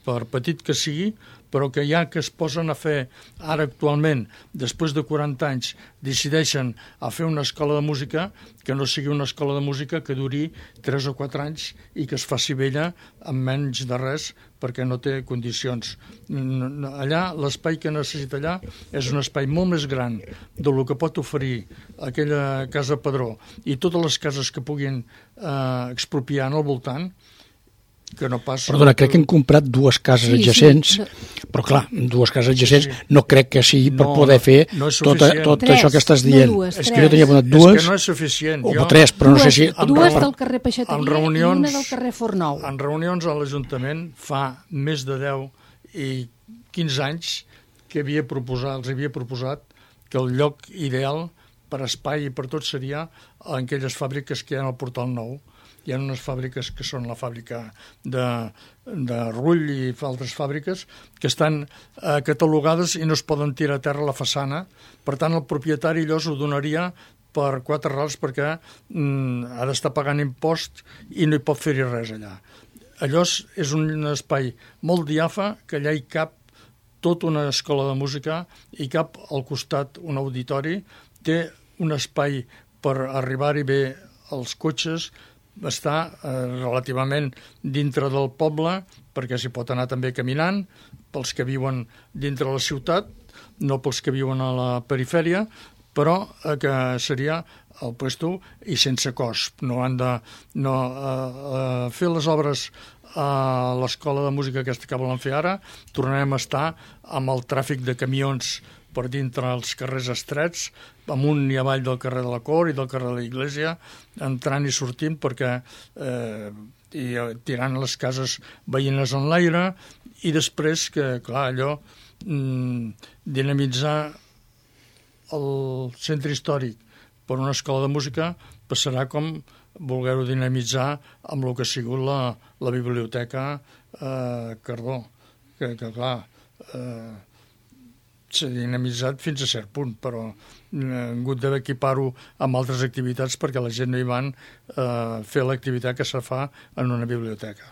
per petit que sigui, però que ja que es posen a fer ara actualment, després de quaranta anys, decideixen a fer una escola de música, que no sigui una escola de música que duri tres o quatre anys i que es faci vella amb menys de res perquè no té condicions. Allà, l'espai que necessita allà és un espai molt més gran del que pot oferir aquella casa Padró i totes les cases que puguin eh, expropiar al voltant, que no pas... Perdona, crec que hem comprat dues cases sí, adjacents, sí. Però clar, dues cases adjacents sí. No crec que sigui per no, poder fer no tot, tot tres, això que estàs dient. No dues, és que jo tenia apuntat dues, és que no és suficient. O jo, tres, però dues, no sé si... Dues per, del carrer Peixateria reunions, i una del carrer Fornou. En reunions a l'Ajuntament fa més de deu i quinze anys que havia proposat, els havia proposat que el lloc ideal per espai i per tot seria en aquelles fàbriques que hi ha al Portal Nou. Hi ha unes fàbriques que són la fàbrica de, de Rull i altres fàbriques que estan eh, catalogades i no es poden tirar a terra a la façana. Per tant, el propietari llavors ho donaria per quatre rals perquè mm, ha d'estar pagant impost i no hi pot fer-hi res allà. Allò és un espai molt diafa, que allà hi cap tota una escola de música i cap al costat un auditori. Té un espai per arribar-hi bé els cotxes, està eh, relativament dintre del poble perquè s'hi pot anar també caminant pels que viuen dintre la ciutat, no pels que viuen a la perifèria, però eh, que seria el puesto i sense cost. No han de no, eh, eh, fer les obres a l'escola de música aquesta que volen fer ara, tornarem a estar amb el tràfic de camions per dintre els carrers estrets, amunt i avall del carrer de la Cor i del carrer de la Iglesia, entrant i sortint perquè eh, i, tirant les cases veïnes en l'aire i després que, clar, allò mm, dinamitzar el centre històric per una escola de música passarà com voler-ho dinamitzar amb el que ha sigut la, la biblioteca eh, Cardó, que, que clar... Eh, s'ha dinamitzat fins a cert punt, però hem hagut d'equipar-ho amb altres activitats perquè la gent no hi van eh, fer l'activitat que se fa en una biblioteca.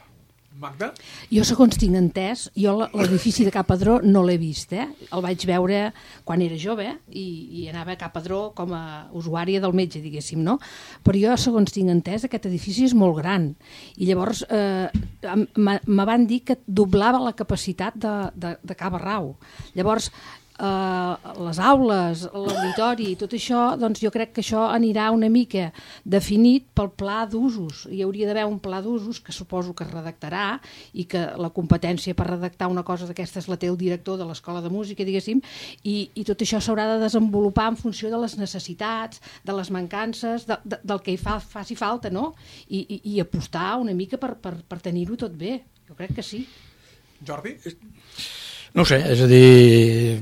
Magda? Jo, segons tinc entès, jo l'edifici de Ca Padró no l'he vist, eh? El vaig veure quan era jove i, i anava a Ca Padró com a usuària del metge, diguéssim, no? Però jo, segons tinc entès, aquest edifici és molt gran i llavors eh, me van dir que doblava la capacitat de, de, de Ca Barrau. Llavors, Uh, les aules, l'auditori i tot això, doncs jo crec que això anirà una mica definit pel pla d'usos. Hi hauria d'haver un pla d'usos que suposo que es redactarà i que la competència per redactar una cosa d'aquestes la té el director de l'escola de música, diguéssim, i, i tot això s'haurà de desenvolupar en funció de les necessitats, de les mancances, de, de, del que hi fa, faci falta, no? I, i, i apostar una mica per, per, per tenir-ho tot bé. Jo crec que sí. Jordi? No ho sé, és a dir,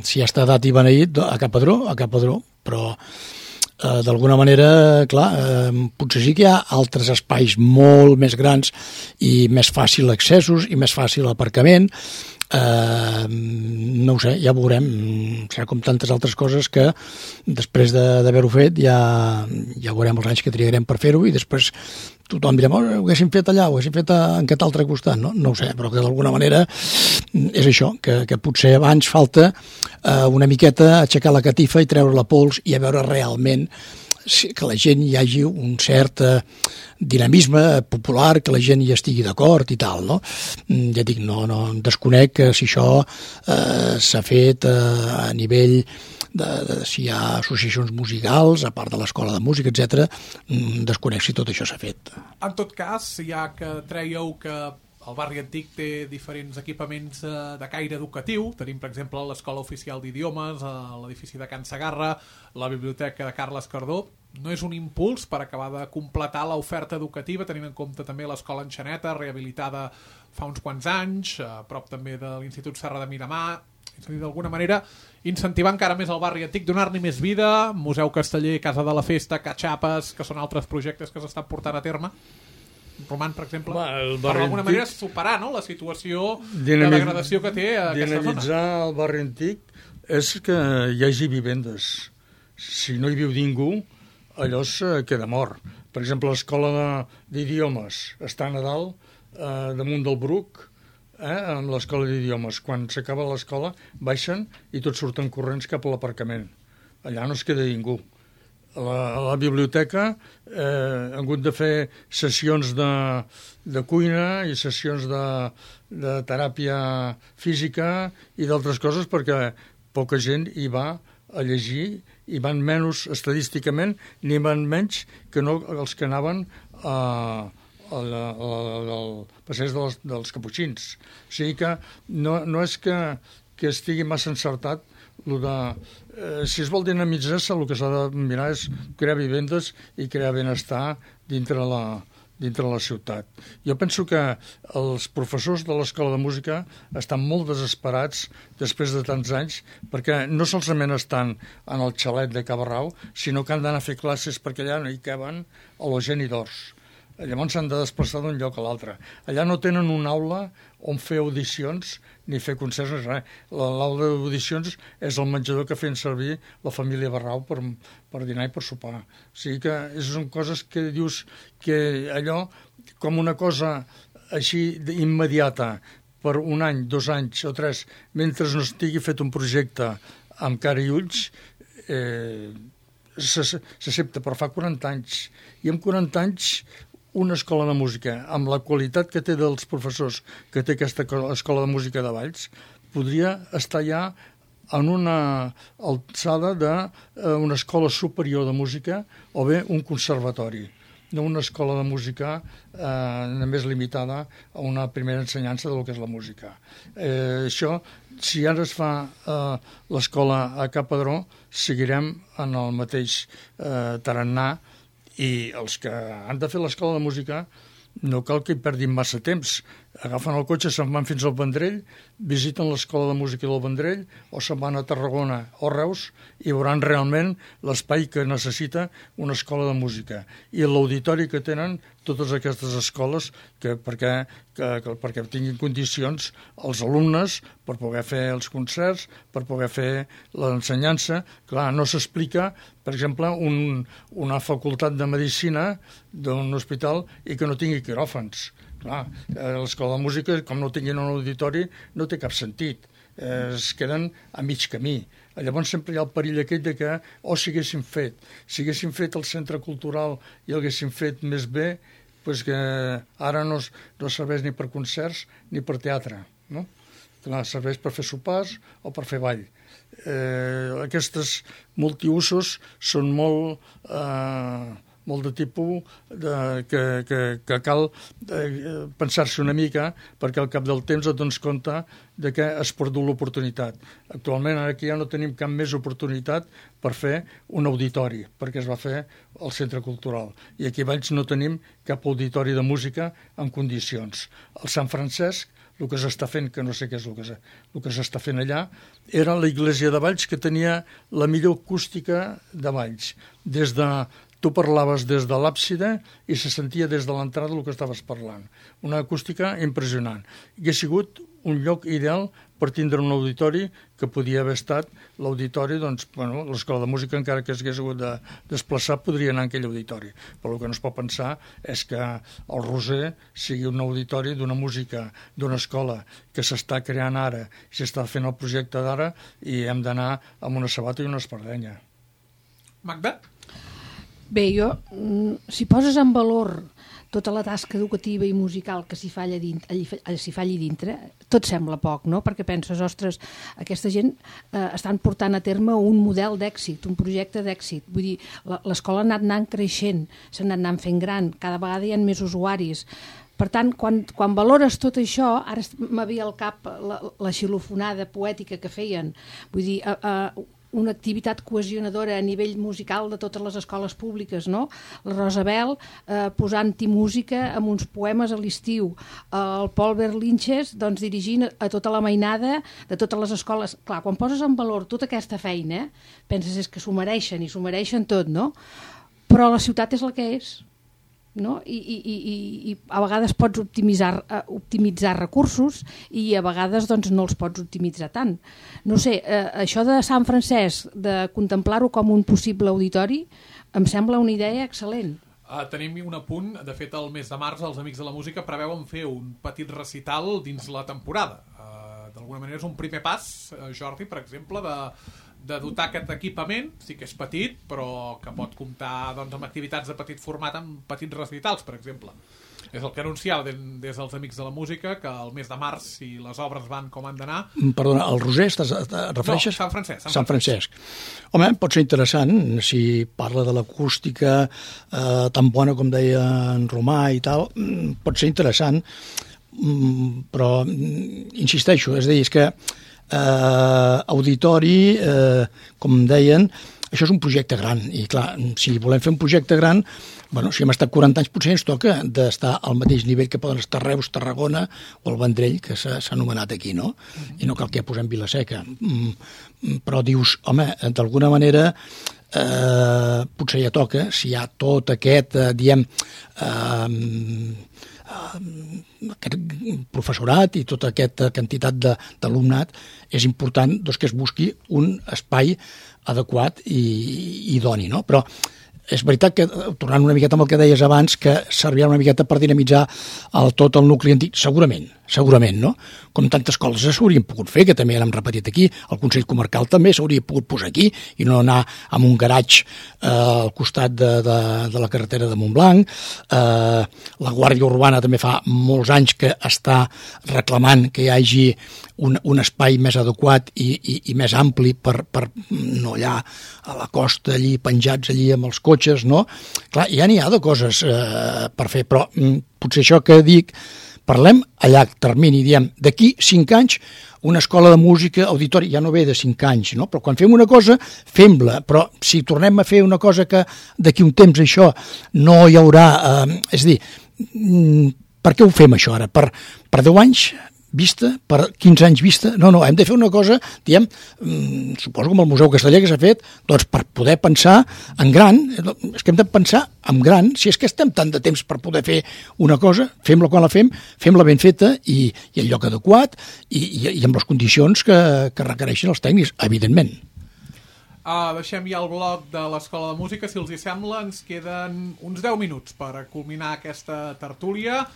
si ja està dat i beneït, a Ca Padró, a Ca Padró, però eh, d'alguna manera, clar, eh, potser sí que hi ha altres espais molt més grans i més fàcil accessos i més fàcil aparcament. Uh, no ho sé, ja veurem, serà com tantes altres coses que després d'haver-ho fet ja, ja veurem els anys que trigarem per fer-ho i després tothom direm, oh, ho haguéssim fet allà, ho haguéssim fet en aquest altre costat, no? No ho sé, però que d'alguna manera és això, que, que potser abans falta uh, una miqueta aixecar la catifa i treure la pols i a veure realment que la gent hi hagi un cert eh, dinamisme popular, que la gent hi estigui d'acord i tal, no? Ja dic, no, no desconec que si això eh, s'ha fet eh, a nivell de, de si hi ha associacions musicals, a part de l'escola de música, etcètera, desconec si tot això s'ha fet. En tot cas, ja que treieu que el barri antic té diferents equipaments eh, de caire educatiu. Tenim, per exemple, l'Escola Oficial d'Idiomes, eh, l'edifici de Can Segarra, la Biblioteca de Carles Cardó. No és un impuls per acabar de completar l'oferta educativa, tenint en compte també l'Escola Enxaneta, rehabilitada fa uns quants anys, a prop també de l'Institut Serra de Miramar. És a dir, d'alguna manera, incentivar encara més el barri antic, donar-li més vida, Museu Casteller, Casa de la Festa, Catxapes, que són altres projectes que s'estan portant a terme. Roman, per exemple, Va, per d'alguna manera superar, no?, la situació Dinami... de degradació que té aquesta zona. Dinamitzar el barri antic és que hi hagi vivendes. Si no hi viu ningú, allò se queda mort. Per exemple, l'escola d'idiomes està a Nadal, eh, damunt del Bruc, eh, amb l'escola d'idiomes. Quan s'acaba l'escola, baixen i tots surten corrents cap a l'aparcament. Allà no es queda ningú. A la, a la biblioteca eh, han hagut de fer sessions de, de cuina i sessions de, de teràpia física i d'altres coses perquè poca gent hi va a llegir i van menys estadísticament ni van menys que no els que anaven a, a la, a la, al passeig dels, dels Caputxins. O sigui que no, no és que, que estigui massa encertat lo de, eh, si es vol dinamitzar-se, el que s'ha de mirar és crear vivendes i crear benestar dintre la, dintre la ciutat. Jo penso que els professors de l'Escola de Música estan molt desesperats després de tants anys perquè no solament estan en el xalet de Cabarrau, sinó que han d'anar a fer classes perquè allà no hi caben a l'Eugeni d'Ors. Llavors s'han de desplaçar d'un lloc a l'altre. Allà no tenen una aula on fer audicions ni fer concerts, ni res. L'aula d'audicions és el menjador que feien servir la família Barrau per, per dinar i per sopar. O sigui que són coses que dius que allò, com una cosa així immediata, per un any, dos anys o tres, mentre no estigui fet un projecte amb cara i ulls, eh, s'accepta, però fa quaranta anys. I amb quaranta anys una escola de música, amb la qualitat que té dels professors que té aquesta escola de música de Valls, podria estar ja en una alçada d'una escola superior de música o bé un conservatori, no una escola de música eh, només limitada a una primera ensenyança del que és la música. Eh, això, si ara es fa eh, l'escola a Capadró, seguirem en el mateix eh, tarannà. I els que han de fer l'escola de música no cal que hi perdin massa temps. Agafen el cotxe, se'n van fins al Vendrell, visiten l'escola de música del Vendrell o se'n van a Tarragona o Reus i veuran realment l'espai que necessita una escola de música. I l'auditori que tenen totes aquestes escoles que, perquè, que, que, perquè tinguin condicions els alumnes per poder fer els concerts, per poder fer l'ensenyança. Clar, no s'explica, per exemple, un, una facultat de medicina d'un hospital i que no tingui quiròfans. Clar, l'escola de música, com no tinguin un auditori, no té cap sentit. Eh, es queden a mig camí. Llavors sempre hi ha el perill aquell de que, o oh, si haguéssim fet, si haguéssim fet el centre cultural i el haguéssim fet més bé, doncs que ara no, no serveix ni per concerts ni per teatre, no? Clar, serveix per fer sopars o per fer ball. Eh, aquestes multiusos són molt... Eh, molt de tipus de, que, que, que cal eh, pensar-se una mica perquè al cap del temps et dones compte de que has perdut l'oportunitat. Actualment ara aquí ja no tenim cap més oportunitat per fer un auditori, perquè es va fer el centre cultural. I aquí a Valls no tenim cap auditori de música en condicions. El Sant Francesc, el que s'està fent, que no sé què és el que, el que s'està fent allà, era la iglesia de Valls que tenia la millor acústica de Valls. Des de tu parlaves des de l'àpside i se sentia des de l'entrada el que estaves parlant. Una acústica impressionant. I ha sigut un lloc ideal per tindre un auditori que podia haver estat l'auditori, doncs, bueno, l'escola de música, encara que s'hagués hagut de desplaçar, podria anar en aquell auditori. Però el que no es pot pensar és que el Roser sigui un auditori d'una música, d'una escola que s'està creant ara, s'està fent el projecte d'ara i hem d'anar amb una sabata i una espardenya. Magda? Bé, jo, si poses en valor tota la tasca educativa i musical que s'hi fa allà dintre, s'hi fa allà dintre, tot sembla poc, no? Perquè penses, ostres, aquesta gent eh, estan portant a terme un model d'èxit, un projecte d'èxit. Vull dir, l'escola ha anat anant creixent, s'ha anat anant fent gran, cada vegada hi ha més usuaris. Per tant, quan, quan valores tot això, ara m'havia al cap la, la xilofonada poètica que feien, vull dir, eh, eh, una activitat cohesionadora a nivell musical de totes les escoles públiques, no? La Rosabel eh, posant-hi música amb uns poemes a l'estiu, el Paul Berlinches doncs, dirigint a tota la mainada de totes les escoles. Clar, quan poses en valor tota aquesta feina, penses és que s'ho mereixen i s'ho mereixen tot, no? Però la ciutat és la que és. No? I, i, i, i a vegades pots optimitzar, uh, optimitzar recursos i a vegades doncs, no els pots optimitzar tant. No sé, uh, això de Sant Francesc, de contemplar-ho com un possible auditori, em sembla una idea excel·lent. Uh, tenim un apunt, de fet el mes de març els Amics de la Música preveuen fer un petit recital dins la temporada. Uh, D'alguna manera és un primer pas, uh, Jordi, per exemple, de, de dotar aquest equipament, sí que és petit, però que pot comptar doncs, amb activitats de petit format, amb petits recitals, per exemple. És el que anunciava des dels Amics de la Música, que el mes de març, si les obres van com han d'anar... Perdona, el Roser, estàs, et refereixes? No, Sant Francesc. Sant, Sant Francesc. Home, pot ser interessant, si parla de l'acústica eh, tan bona com deia en Romà i tal, pot ser interessant, però insisteixo, és a dir, és que eh, auditori, eh, com deien, això és un projecte gran, i clar, si volem fer un projecte gran, bueno, si hem estat quaranta anys, potser ens toca d'estar al mateix nivell que poden estar Reus, Tarragona o el Vendrell, que s'ha anomenat aquí, no? I no cal que ja posem Vila-seca. Però dius, home, d'alguna manera, eh, potser ja toca, si hi ha tot aquest, eh, diem, eh, aquest professorat i tota aquesta quantitat d'alumnat, és important doncs, que es busqui un espai adequat i, i idoni, no? Però és veritat que, tornant una miqueta amb el que deies abans, que servirà una miqueta per dinamitzar el, tot el nucli antic, segurament, segurament, no? Com tantes coses s'haurien pogut fer, que també l'hem repetit aquí, el Consell Comarcal també s'hauria pogut posar aquí i no anar amb un garatge eh, al costat de, de, de la carretera de Montblanc. Eh, la Guàrdia Urbana també fa molts anys que està reclamant que hi hagi un, un espai més adequat i, i, i més ampli per, per no allà a la costa, allí penjats allí amb els cotxes, no? Clar, ja n'hi ha de coses eh, per fer, però mm, potser això que dic, parlem a llarg termini, diem, d'aquí cinc anys una escola de música, auditori, ja no ve de cinc anys, no? Però quan fem una cosa, fem-la, però si tornem a fer una cosa que d'aquí un temps això no hi haurà... Eh, és a dir, mm, per què ho fem això ara? Per, per deu anys vista, per quinze anys vista? No, no, hem de fer una cosa, diem, mmm, suposo com el Museu Casteller que s'ha fet, doncs per poder pensar en gran, és que hem de pensar en gran, si és que estem tant de temps per poder fer una cosa, fem-la quan la fem, fem-la ben feta i, i el lloc adequat i, i, i amb les condicions que, que requereixen els tècnics, evidentment. Uh, deixem ja el bloc de l'Escola de Música, si els hi sembla, ens queden uns deu minuts per culminar aquesta tertúlia.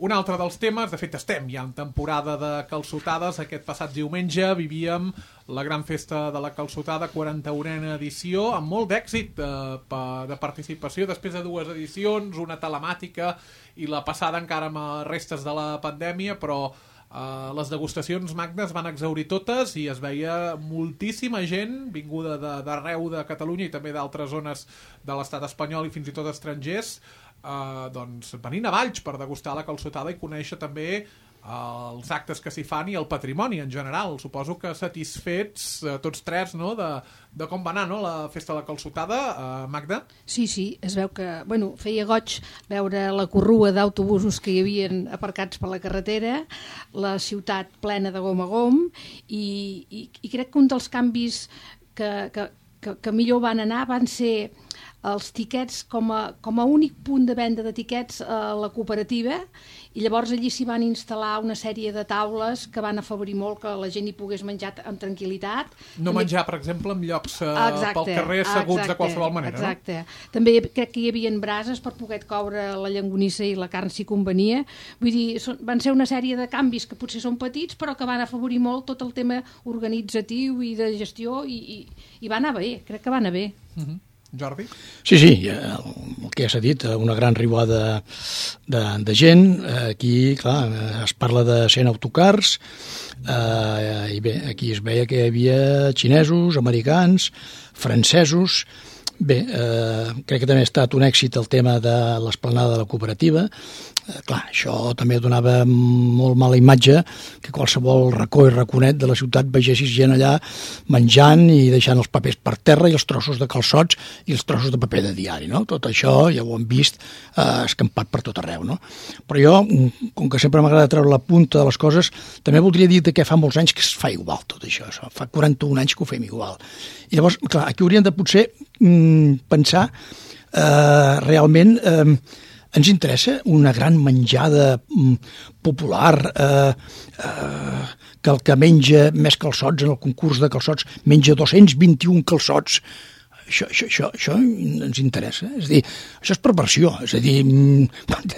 Un altre dels temes, de fet estem ja en temporada de calçotades, aquest passat diumenge vivíem la gran festa de la calçotada, quaranta-unena edició, amb molt d'èxit de, de participació, després de dues edicions, una telemàtica i la passada encara amb restes de la pandèmia, però Uh, les degustacions magnes van exaurir totes i es veia moltíssima gent vinguda d'arreu de, de Catalunya i també d'altres zones de l'estat espanyol i fins i tot estrangers, uh, doncs venint a Valls per degustar la calçotada i conèixer també uh, els actes que s'hi fan i el patrimoni en general. Suposo que satisfets uh, tots tres, no?, de, de com va anar, no?, la festa de la calçotada, uh, Magda? Sí, sí, es veu que, bueno, feia goig veure la corrua d'autobusos que hi havien aparcats per la carretera, la ciutat plena de gom a gom, i, i, i crec que un dels canvis que, que, que, que millor van anar van ser els tiquets com a, com a únic punt de venda de tiquets a la cooperativa, i llavors allí s'hi van instal·lar una sèrie de taules que van afavorir molt que la gent hi pogués menjar amb tranquil·litat. No també... menjar, per exemple, en llocs uh, exacte, pel carrer asseguts exacte, de qualsevol manera, exacte. No? També crec que hi havia brases per poder coure la llonganissa i la carn si convenia. Vull dir, són, van ser una sèrie de canvis que potser són petits, però que van afavorir molt tot el tema organitzatiu i de gestió, i, i, i va anar bé, crec que va anar bé. Uh-huh. Jordi? Sí, sí, el que ja s'ha dit, una gran riuada de, de gent. Aquí, clar, es parla de cent autocars, eh, i bé, aquí es veia que hi havia xinesos, americans, francesos. Bé, eh, crec que també ha estat un èxit el tema de l'esplanada de la cooperativa. Eh, clar, això també donava molt mala imatge que qualsevol racó i raconet de la ciutat vegessis gent allà menjant i deixant els papers per terra i els trossos de calçots i els trossos de paper de diari, no? Tot això ja ho hem vist eh, escampat per tot arreu, no? Però jo, com que sempre m'agrada treure la punta de les coses, també voldria dir que fa molts anys que es fa igual tot això, fa quaranta-un anys que ho fem igual. I llavors, clar, aquí hauríem de potser mm, pensar eh, realment... Eh, ens interessa una gran menjada mm, popular, eh, eh, que el que menja més calçots en el concurs de calçots menja dos-cents vint-i-un calçots. això, això, això, això ens interessa. És a dir, això és perversió. És a dir,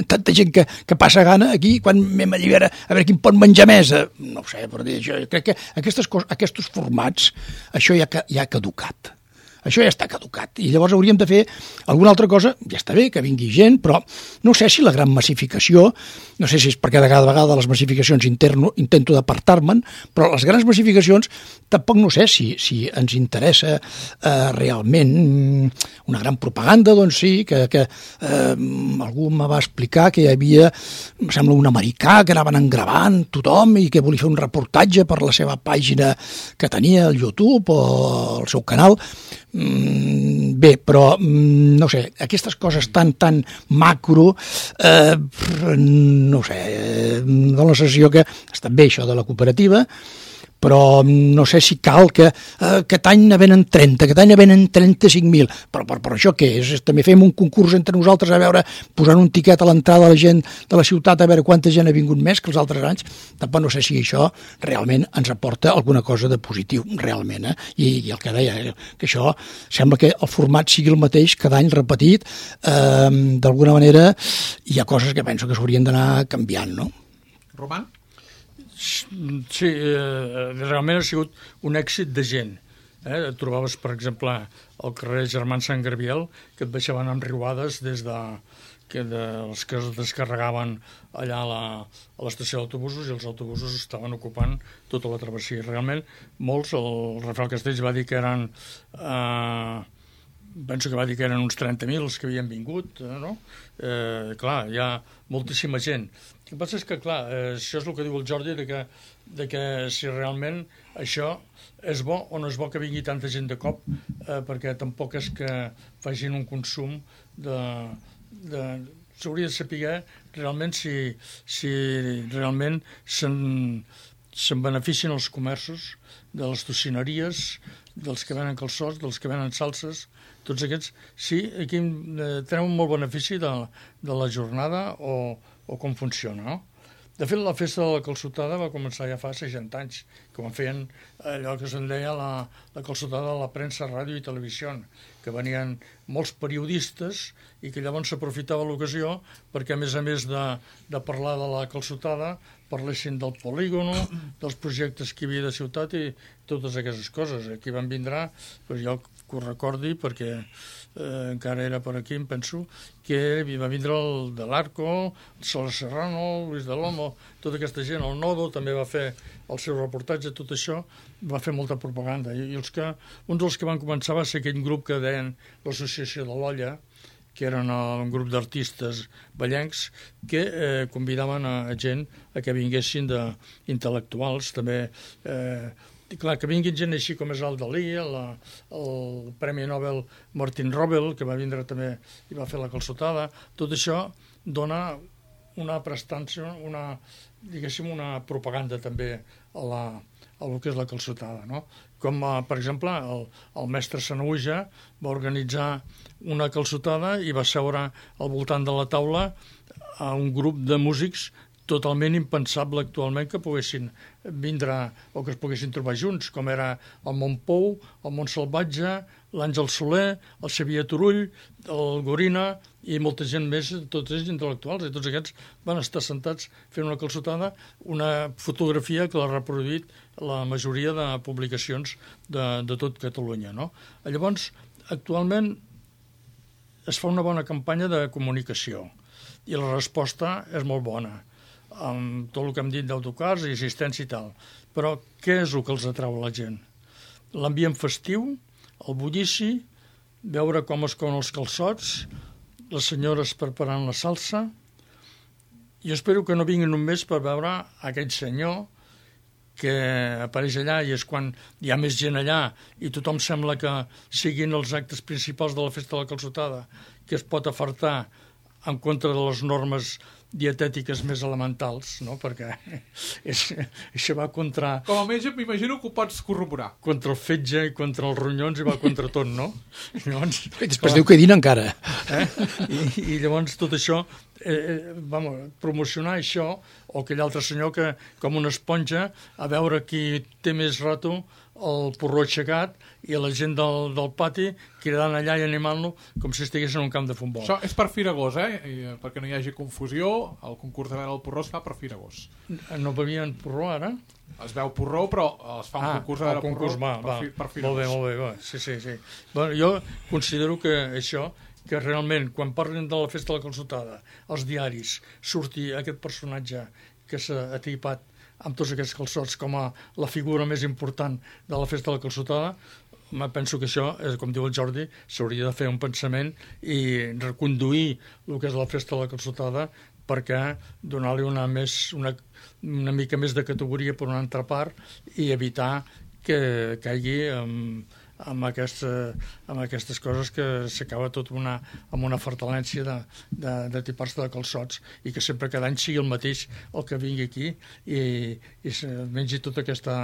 tanta gent que, que passa gana aquí, quan anem a veure, a veure quin pot menjar més. No ho sé, per dir això. Crec que aquestes coses, aquests formats, això ja, ja ha caducat. Això ja està caducat. I llavors hauríem de fer alguna altra cosa. Ja està bé que vingui gent, però no sé si la gran massificació, no sé si és perquè de cada vegada les massificacions interno, intento d'apartar-me'n, però les grans massificacions tampoc no sé si, si ens interessa eh, realment una gran propaganda, doncs sí, que, que eh, algú me va explicar que hi havia, em sembla, un americà que anaven engravant tothom i que volia fer un reportatge per la seva pàgina que tenia al YouTube o al seu canal. Bé, però no sé, aquestes coses tan, tan macro, eh, no sé, eh, dona la sensació que està bé això de la cooperativa, però no sé si cal que eh, aquest any ne venen trenta, aquest any ne venen trenta-cinc mil, però per, per això què és? També fem un concurs entre nosaltres a veure, posant un tiquet a l'entrada de la gent de la ciutat a veure quanta gent ha vingut més que els altres anys. Tampoc no sé si això realment ens aporta alguna cosa de positiu, realment, eh? I, i el que deia, que això sembla que el format sigui el mateix cada any repetit, eh, d'alguna manera hi ha coses que penso que s'haurien d'anar canviant, no? Roman? Sí, eh, realment ha sigut un èxit de gent. Eh? Et trobaves, per exemple, al carrer Germán Sant Gabriel, que et baixaven amb riuades des de, que de, els que es descarregaven allà a la, a l'estació d'autobusos, i els autobusos estaven ocupant tota la travessia. Realment, molts, el Rafael Castells va dir que eren... Eh, penso que va dir que eren uns trenta mil els que havien vingut, no? Eh, clar, hi ha moltíssima gent. El que passa és que, clar, eh, això és el que diu el Jordi, de que, de que si realment això és bo o no és bo que vingui tanta gent de cop, eh, perquè tampoc és que facin un consum de... de s'hauria de saber realment si, si realment se'n, se'n beneficien els comerços de les tocineries, dels que venen calçots, dels que venen salses, tots aquests, sí, aquí eh, tenen un molt benefici de, de la jornada o, o com funciona, no? De fet, la festa de la calçotada va començar ja fa seixanta anys, que quan feien allò que se'n deia la, la calçotada de la premsa, ràdio i televisió, que venien molts periodistes i que llavors s'aprofitava l'ocasió perquè, a més a més de, de parlar de la calçotada, parlessin del polígono, dels projectes que hi havia de ciutat i totes aquestes coses. Aquí van vindrà, doncs jo que ho recordi perquè eh, encara era per aquí, em penso, que va vindre el de l'Arco, el Sola Serrano, Luis de l'Omo, tota aquesta gent, el Nodo també va fer el seu reportatge, tot això va fer molta propaganda. I, i els que, un dels que van començar va ser aquell grup que deien l'Associació de l'Olla, que eren un grup d'artistes ballencs que eh, convidaven a, a gent a que vinguessin d'intel·lectuals, també eh, clar, que vinguin gent així com és el Dalí, el, el Premi Nobel Martin Robel, que va vindre també i va fer la calçotada. Tot això dona una prestància, una, diguéssim, una propaganda també a, la, a lo que és la calçotada, no? Com, per exemple, el, el mestre Sanaüja va organitzar una calçotada i va seure al voltant de la taula a un grup de músics totalment impensable actualment que poguessin vindre o que es poguessin trobar junts, com era el Montpou, el Montsalvatge, l'Àngel Soler, el Xavier Turull, el Gorina i molta gent més, tots ells intel·lectuals, i tots aquests van estar sentats fent una calçotada, una fotografia que l'ha reproduït la majoria de publicacions de, de tot Catalunya, no? Llavors, actualment es fa una bona campanya de comunicació i la resposta és molt bona, amb tot el que hem dit d'autocars i assistència i tal. Però què és el que els atrau a la gent? L'ambient festiu, el bullici, veure com es couen els calçots, les senyores preparant la salsa. Jo espero que no vinguin només per veure aquell senyor que apareix allà i és quan hi ha més gent allà i tothom sembla que siguin els actes principals de la festa de la calçotada, que es pot afartar en contra de les normes dietètiques més elementals, no? Perquè és, això va contra... Com a metge m'imagino que ho pots corroborar. Contra el fetge i contra els ronyons i va contra tot, no? Llavors, I després clar, diu que dina encara. Eh? I, I llavors tot això, eh, vamos, promocionar això, o aquell altre senyor que, com una esponja, a veure qui té més rato, el porró aixecat i la gent del, del pati cridant allà i animant-lo com si estigués en un camp de futbol. Això és per Firagós, eh? I, perquè no hi hagi confusió, el concurs de veure el porró es fa per Firagós. No bevien porró ara? Es veu porró, però es fa un ah, concurs de veure concurs, porró va, per, va. fi, per Firagós. Molt bé, molt bé, va. Sí, sí, sí. Bueno, jo considero que això, que realment, quan parlen de la festa de la calçotada, als diaris, surti aquest personatge que s'ha atipat amb tots aquests calçots com a la figura més important de la festa de la calçotada, penso que això, com diu el Jordi, s'hauria de fer un pensament i reconduir el que és la festa de la calçotada perquè donar-li una, més, una, una mica més de categoria per una altra part i evitar que caigui amb, amb, aquesta, amb aquestes coses que s'acaba tot una, amb una fartalència de, de, de tipar-se de calçots i que sempre cada any sigui el mateix el que vingui aquí i, i mengi tota aquesta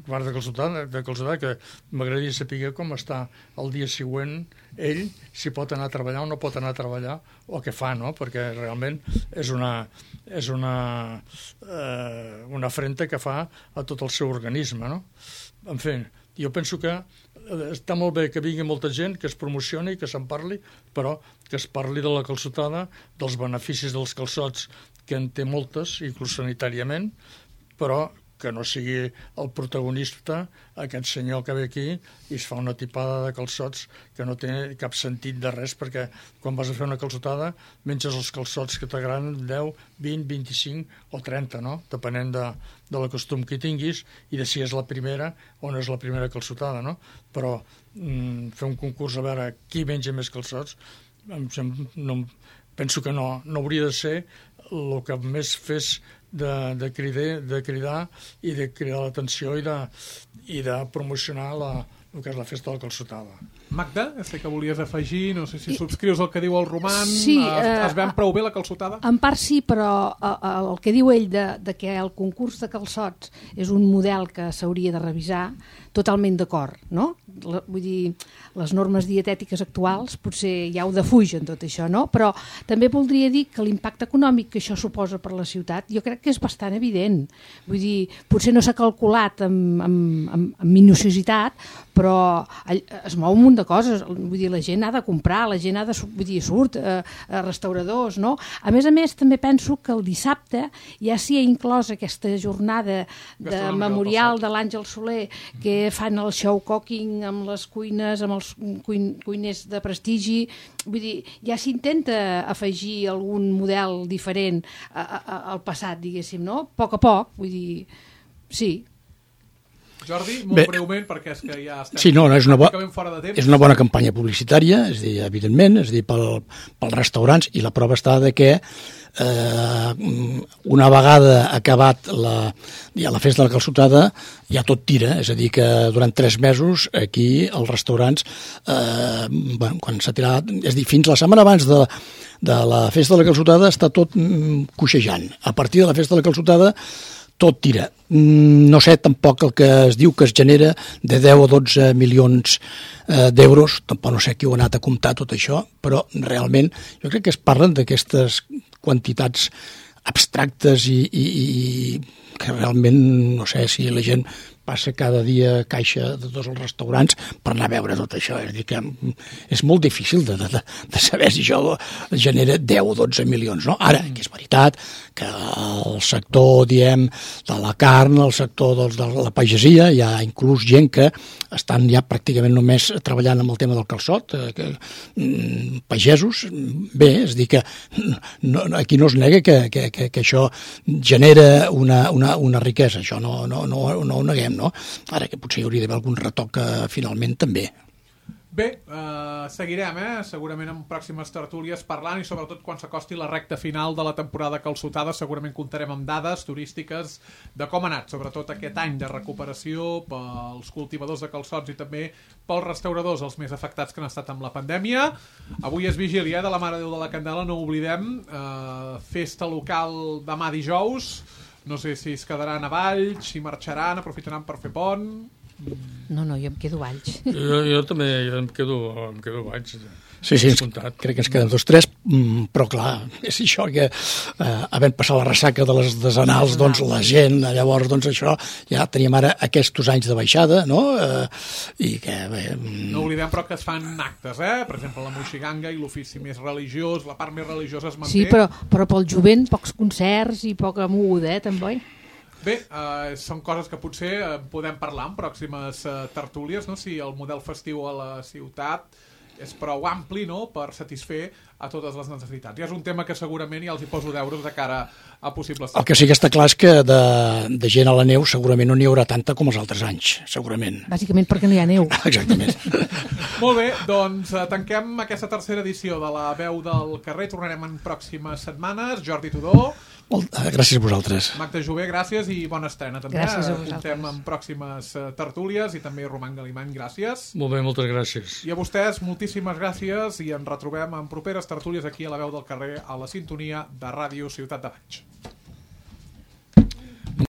part de calçotada, de calçotada que m'agradaria saber com està el dia següent ell, si pot anar a treballar o no pot anar a treballar o què fa, no? Perquè realment és una, és una, eh, una afrenta que fa a tot el seu organisme, no? En fi, jo penso que està molt bé que vingui molta gent, que es promocioni, que se'n parli, però que es parli de la calçotada, dels beneficis dels calçots, que en té moltes, inclús sanitàriament, però que no sigui el protagonista aquest senyor que ve aquí i es fa una tipada de calçots que no té cap sentit de res, perquè quan vas a fer una calçotada menges els calçots que t'agraden deu, vint, vint-i-cinc o trenta, no? Depenent de, de la costum que tinguis i de si és la primera o no és la primera calçotada, no? Però mm, fer un concurs a veure qui menja més calçots no, penso que no, no hauria de ser el que més fes de, de, cridar, de cridar i de cridar l'atenció i, de, i de promocionar la, el que és la festa de la calçotada. Magda, sé que volies afegir, no sé si subscrius el que diu el Roman, sí, es, eh, es ven prou bé la calçotada? En part sí, però eh, el que diu ell de, de que el concurs de calçots és un model que s'hauria de revisar, totalment d'acord, no? La, vull dir, les normes dietètiques actuals potser ja ho defugen tot això, no? Però també voldria dir que l'impacte econòmic que això suposa per la ciutat jo crec que és bastant evident. Vull dir, potser no s'ha calculat amb, amb, amb, amb minuciositat, però es mou un munt de coses. Vull dir, la gent ha de comprar, la gent ha de, vull dir, surt a, a restauradors, no? A més a més, també penso que el dissabte ja s'hi ha inclòs aquesta jornada de memorial de l'Àngel Soler, que fan el show cooking amb les cuines, amb els cuin, cuiners de prestigi. Vull dir, ja s'intenta afegir algun model diferent a, a, al passat, diguéssim, no? A poc a poc, vull dir, sí. Jordi, molt Bé, breument, perquè és que ja estem sí, no, no, és, una bo... fora de temps. És una bona campanya publicitària, és dir, evidentment, és dir, pel, pels restaurants, i la prova està de que eh, una vegada acabat la, ja la festa de la calçotada ja tot tira, és a dir, que durant tres mesos aquí els restaurants eh, bueno, quan s'ha tirat, és dir, fins la setmana abans de, de la festa de la calçotada està tot mm, coixejant. A partir de la festa de la calçotada tot tira. No sé tampoc el que es diu que es genera de deu o dotze milions eh, d'euros, tampoc no sé qui ho ha anat a comptar tot això, però realment jo crec que es parlen d'aquestes quantitats abstractes i, i, i que realment no sé si la gent passa cada dia caixa de tots els restaurants per anar a veure tot això. És a dir, que és molt difícil de, de, de saber si això genera deu o dotze milions, no? Ara, que és veritat que el sector, diem, de la carn, el sector doncs, de la pagesia, hi ha inclús gent que estan ja pràcticament només treballant amb el tema del calçot, eh, que, mm, pagesos, bé, és a dir que no, aquí no es nega que, que, que, que això genera una, una, una riquesa, això no, no, no, no ho neguem, no? Ara que potser hi hauria d'haver algun retoc eh, finalment també. Bé, eh, seguirem, eh? segurament en pròximes tertúlies parlant i sobretot quan s'acosti la recta final de la temporada calçotada segurament comptarem amb dades turístiques de com ha anat, sobretot aquest any de recuperació pels cultivadors de calçots i també pels restauradors, els més afectats que han estat amb la pandèmia. Avui és vigília eh, de la Mare de Déu de la Candela, no ho oblidem, eh, festa local demà dijous, no sé si es quedaran a Valls, si marxaran, aprofitaran per fer pont... No, no, jo em quedo a Valls. Jo, jo també jo em quedo, em quedo a Valls. Sí, sí, ens, crec que ens queden dos tres, però clar, és això que eh, havent passat la ressaca de les desenals, doncs la gent, llavors, doncs això, ja teníem ara aquests anys de baixada, no? Eh, i que, bé... No oblidem, però, que es fan actes, eh? Per exemple, la moixiganga i l'ofici més religiós, la part més religiosa es manté. Sí, però, però pel jovent pocs concerts i poca moguda, eh, també. Bé, eh, són coses que potser eh, podem parlar en pròximes eh, tertúlies, no? Si el model festiu a la ciutat és prou ampli, no?, per satisfer a totes les necessitats. I és un tema que segurament ja els hi poso deures de cara a possibles... El que sí que està clar és que de, de gent a la neu segurament no n'hi haurà tanta com els altres anys, segurament. Bàsicament perquè no hi ha neu. Exactament. Molt bé, doncs eh, tanquem aquesta tercera edició de La Veu del Carrer. Tornarem en pròximes setmanes. Jordi Tudó. Molt, gràcies a vosaltres. Magda Jové, gràcies i bona estrena també. Gràcies a vosaltres. Comptem en pròximes uh, tertúlies i també Roman Galimany, gràcies. Molt bé, moltes gràcies. I a vostès, moltíssimes gràcies i ens retrobem en properes tertúlies aquí a La Veu del Carrer a la sintonia de Ràdio Ciutat de Valls.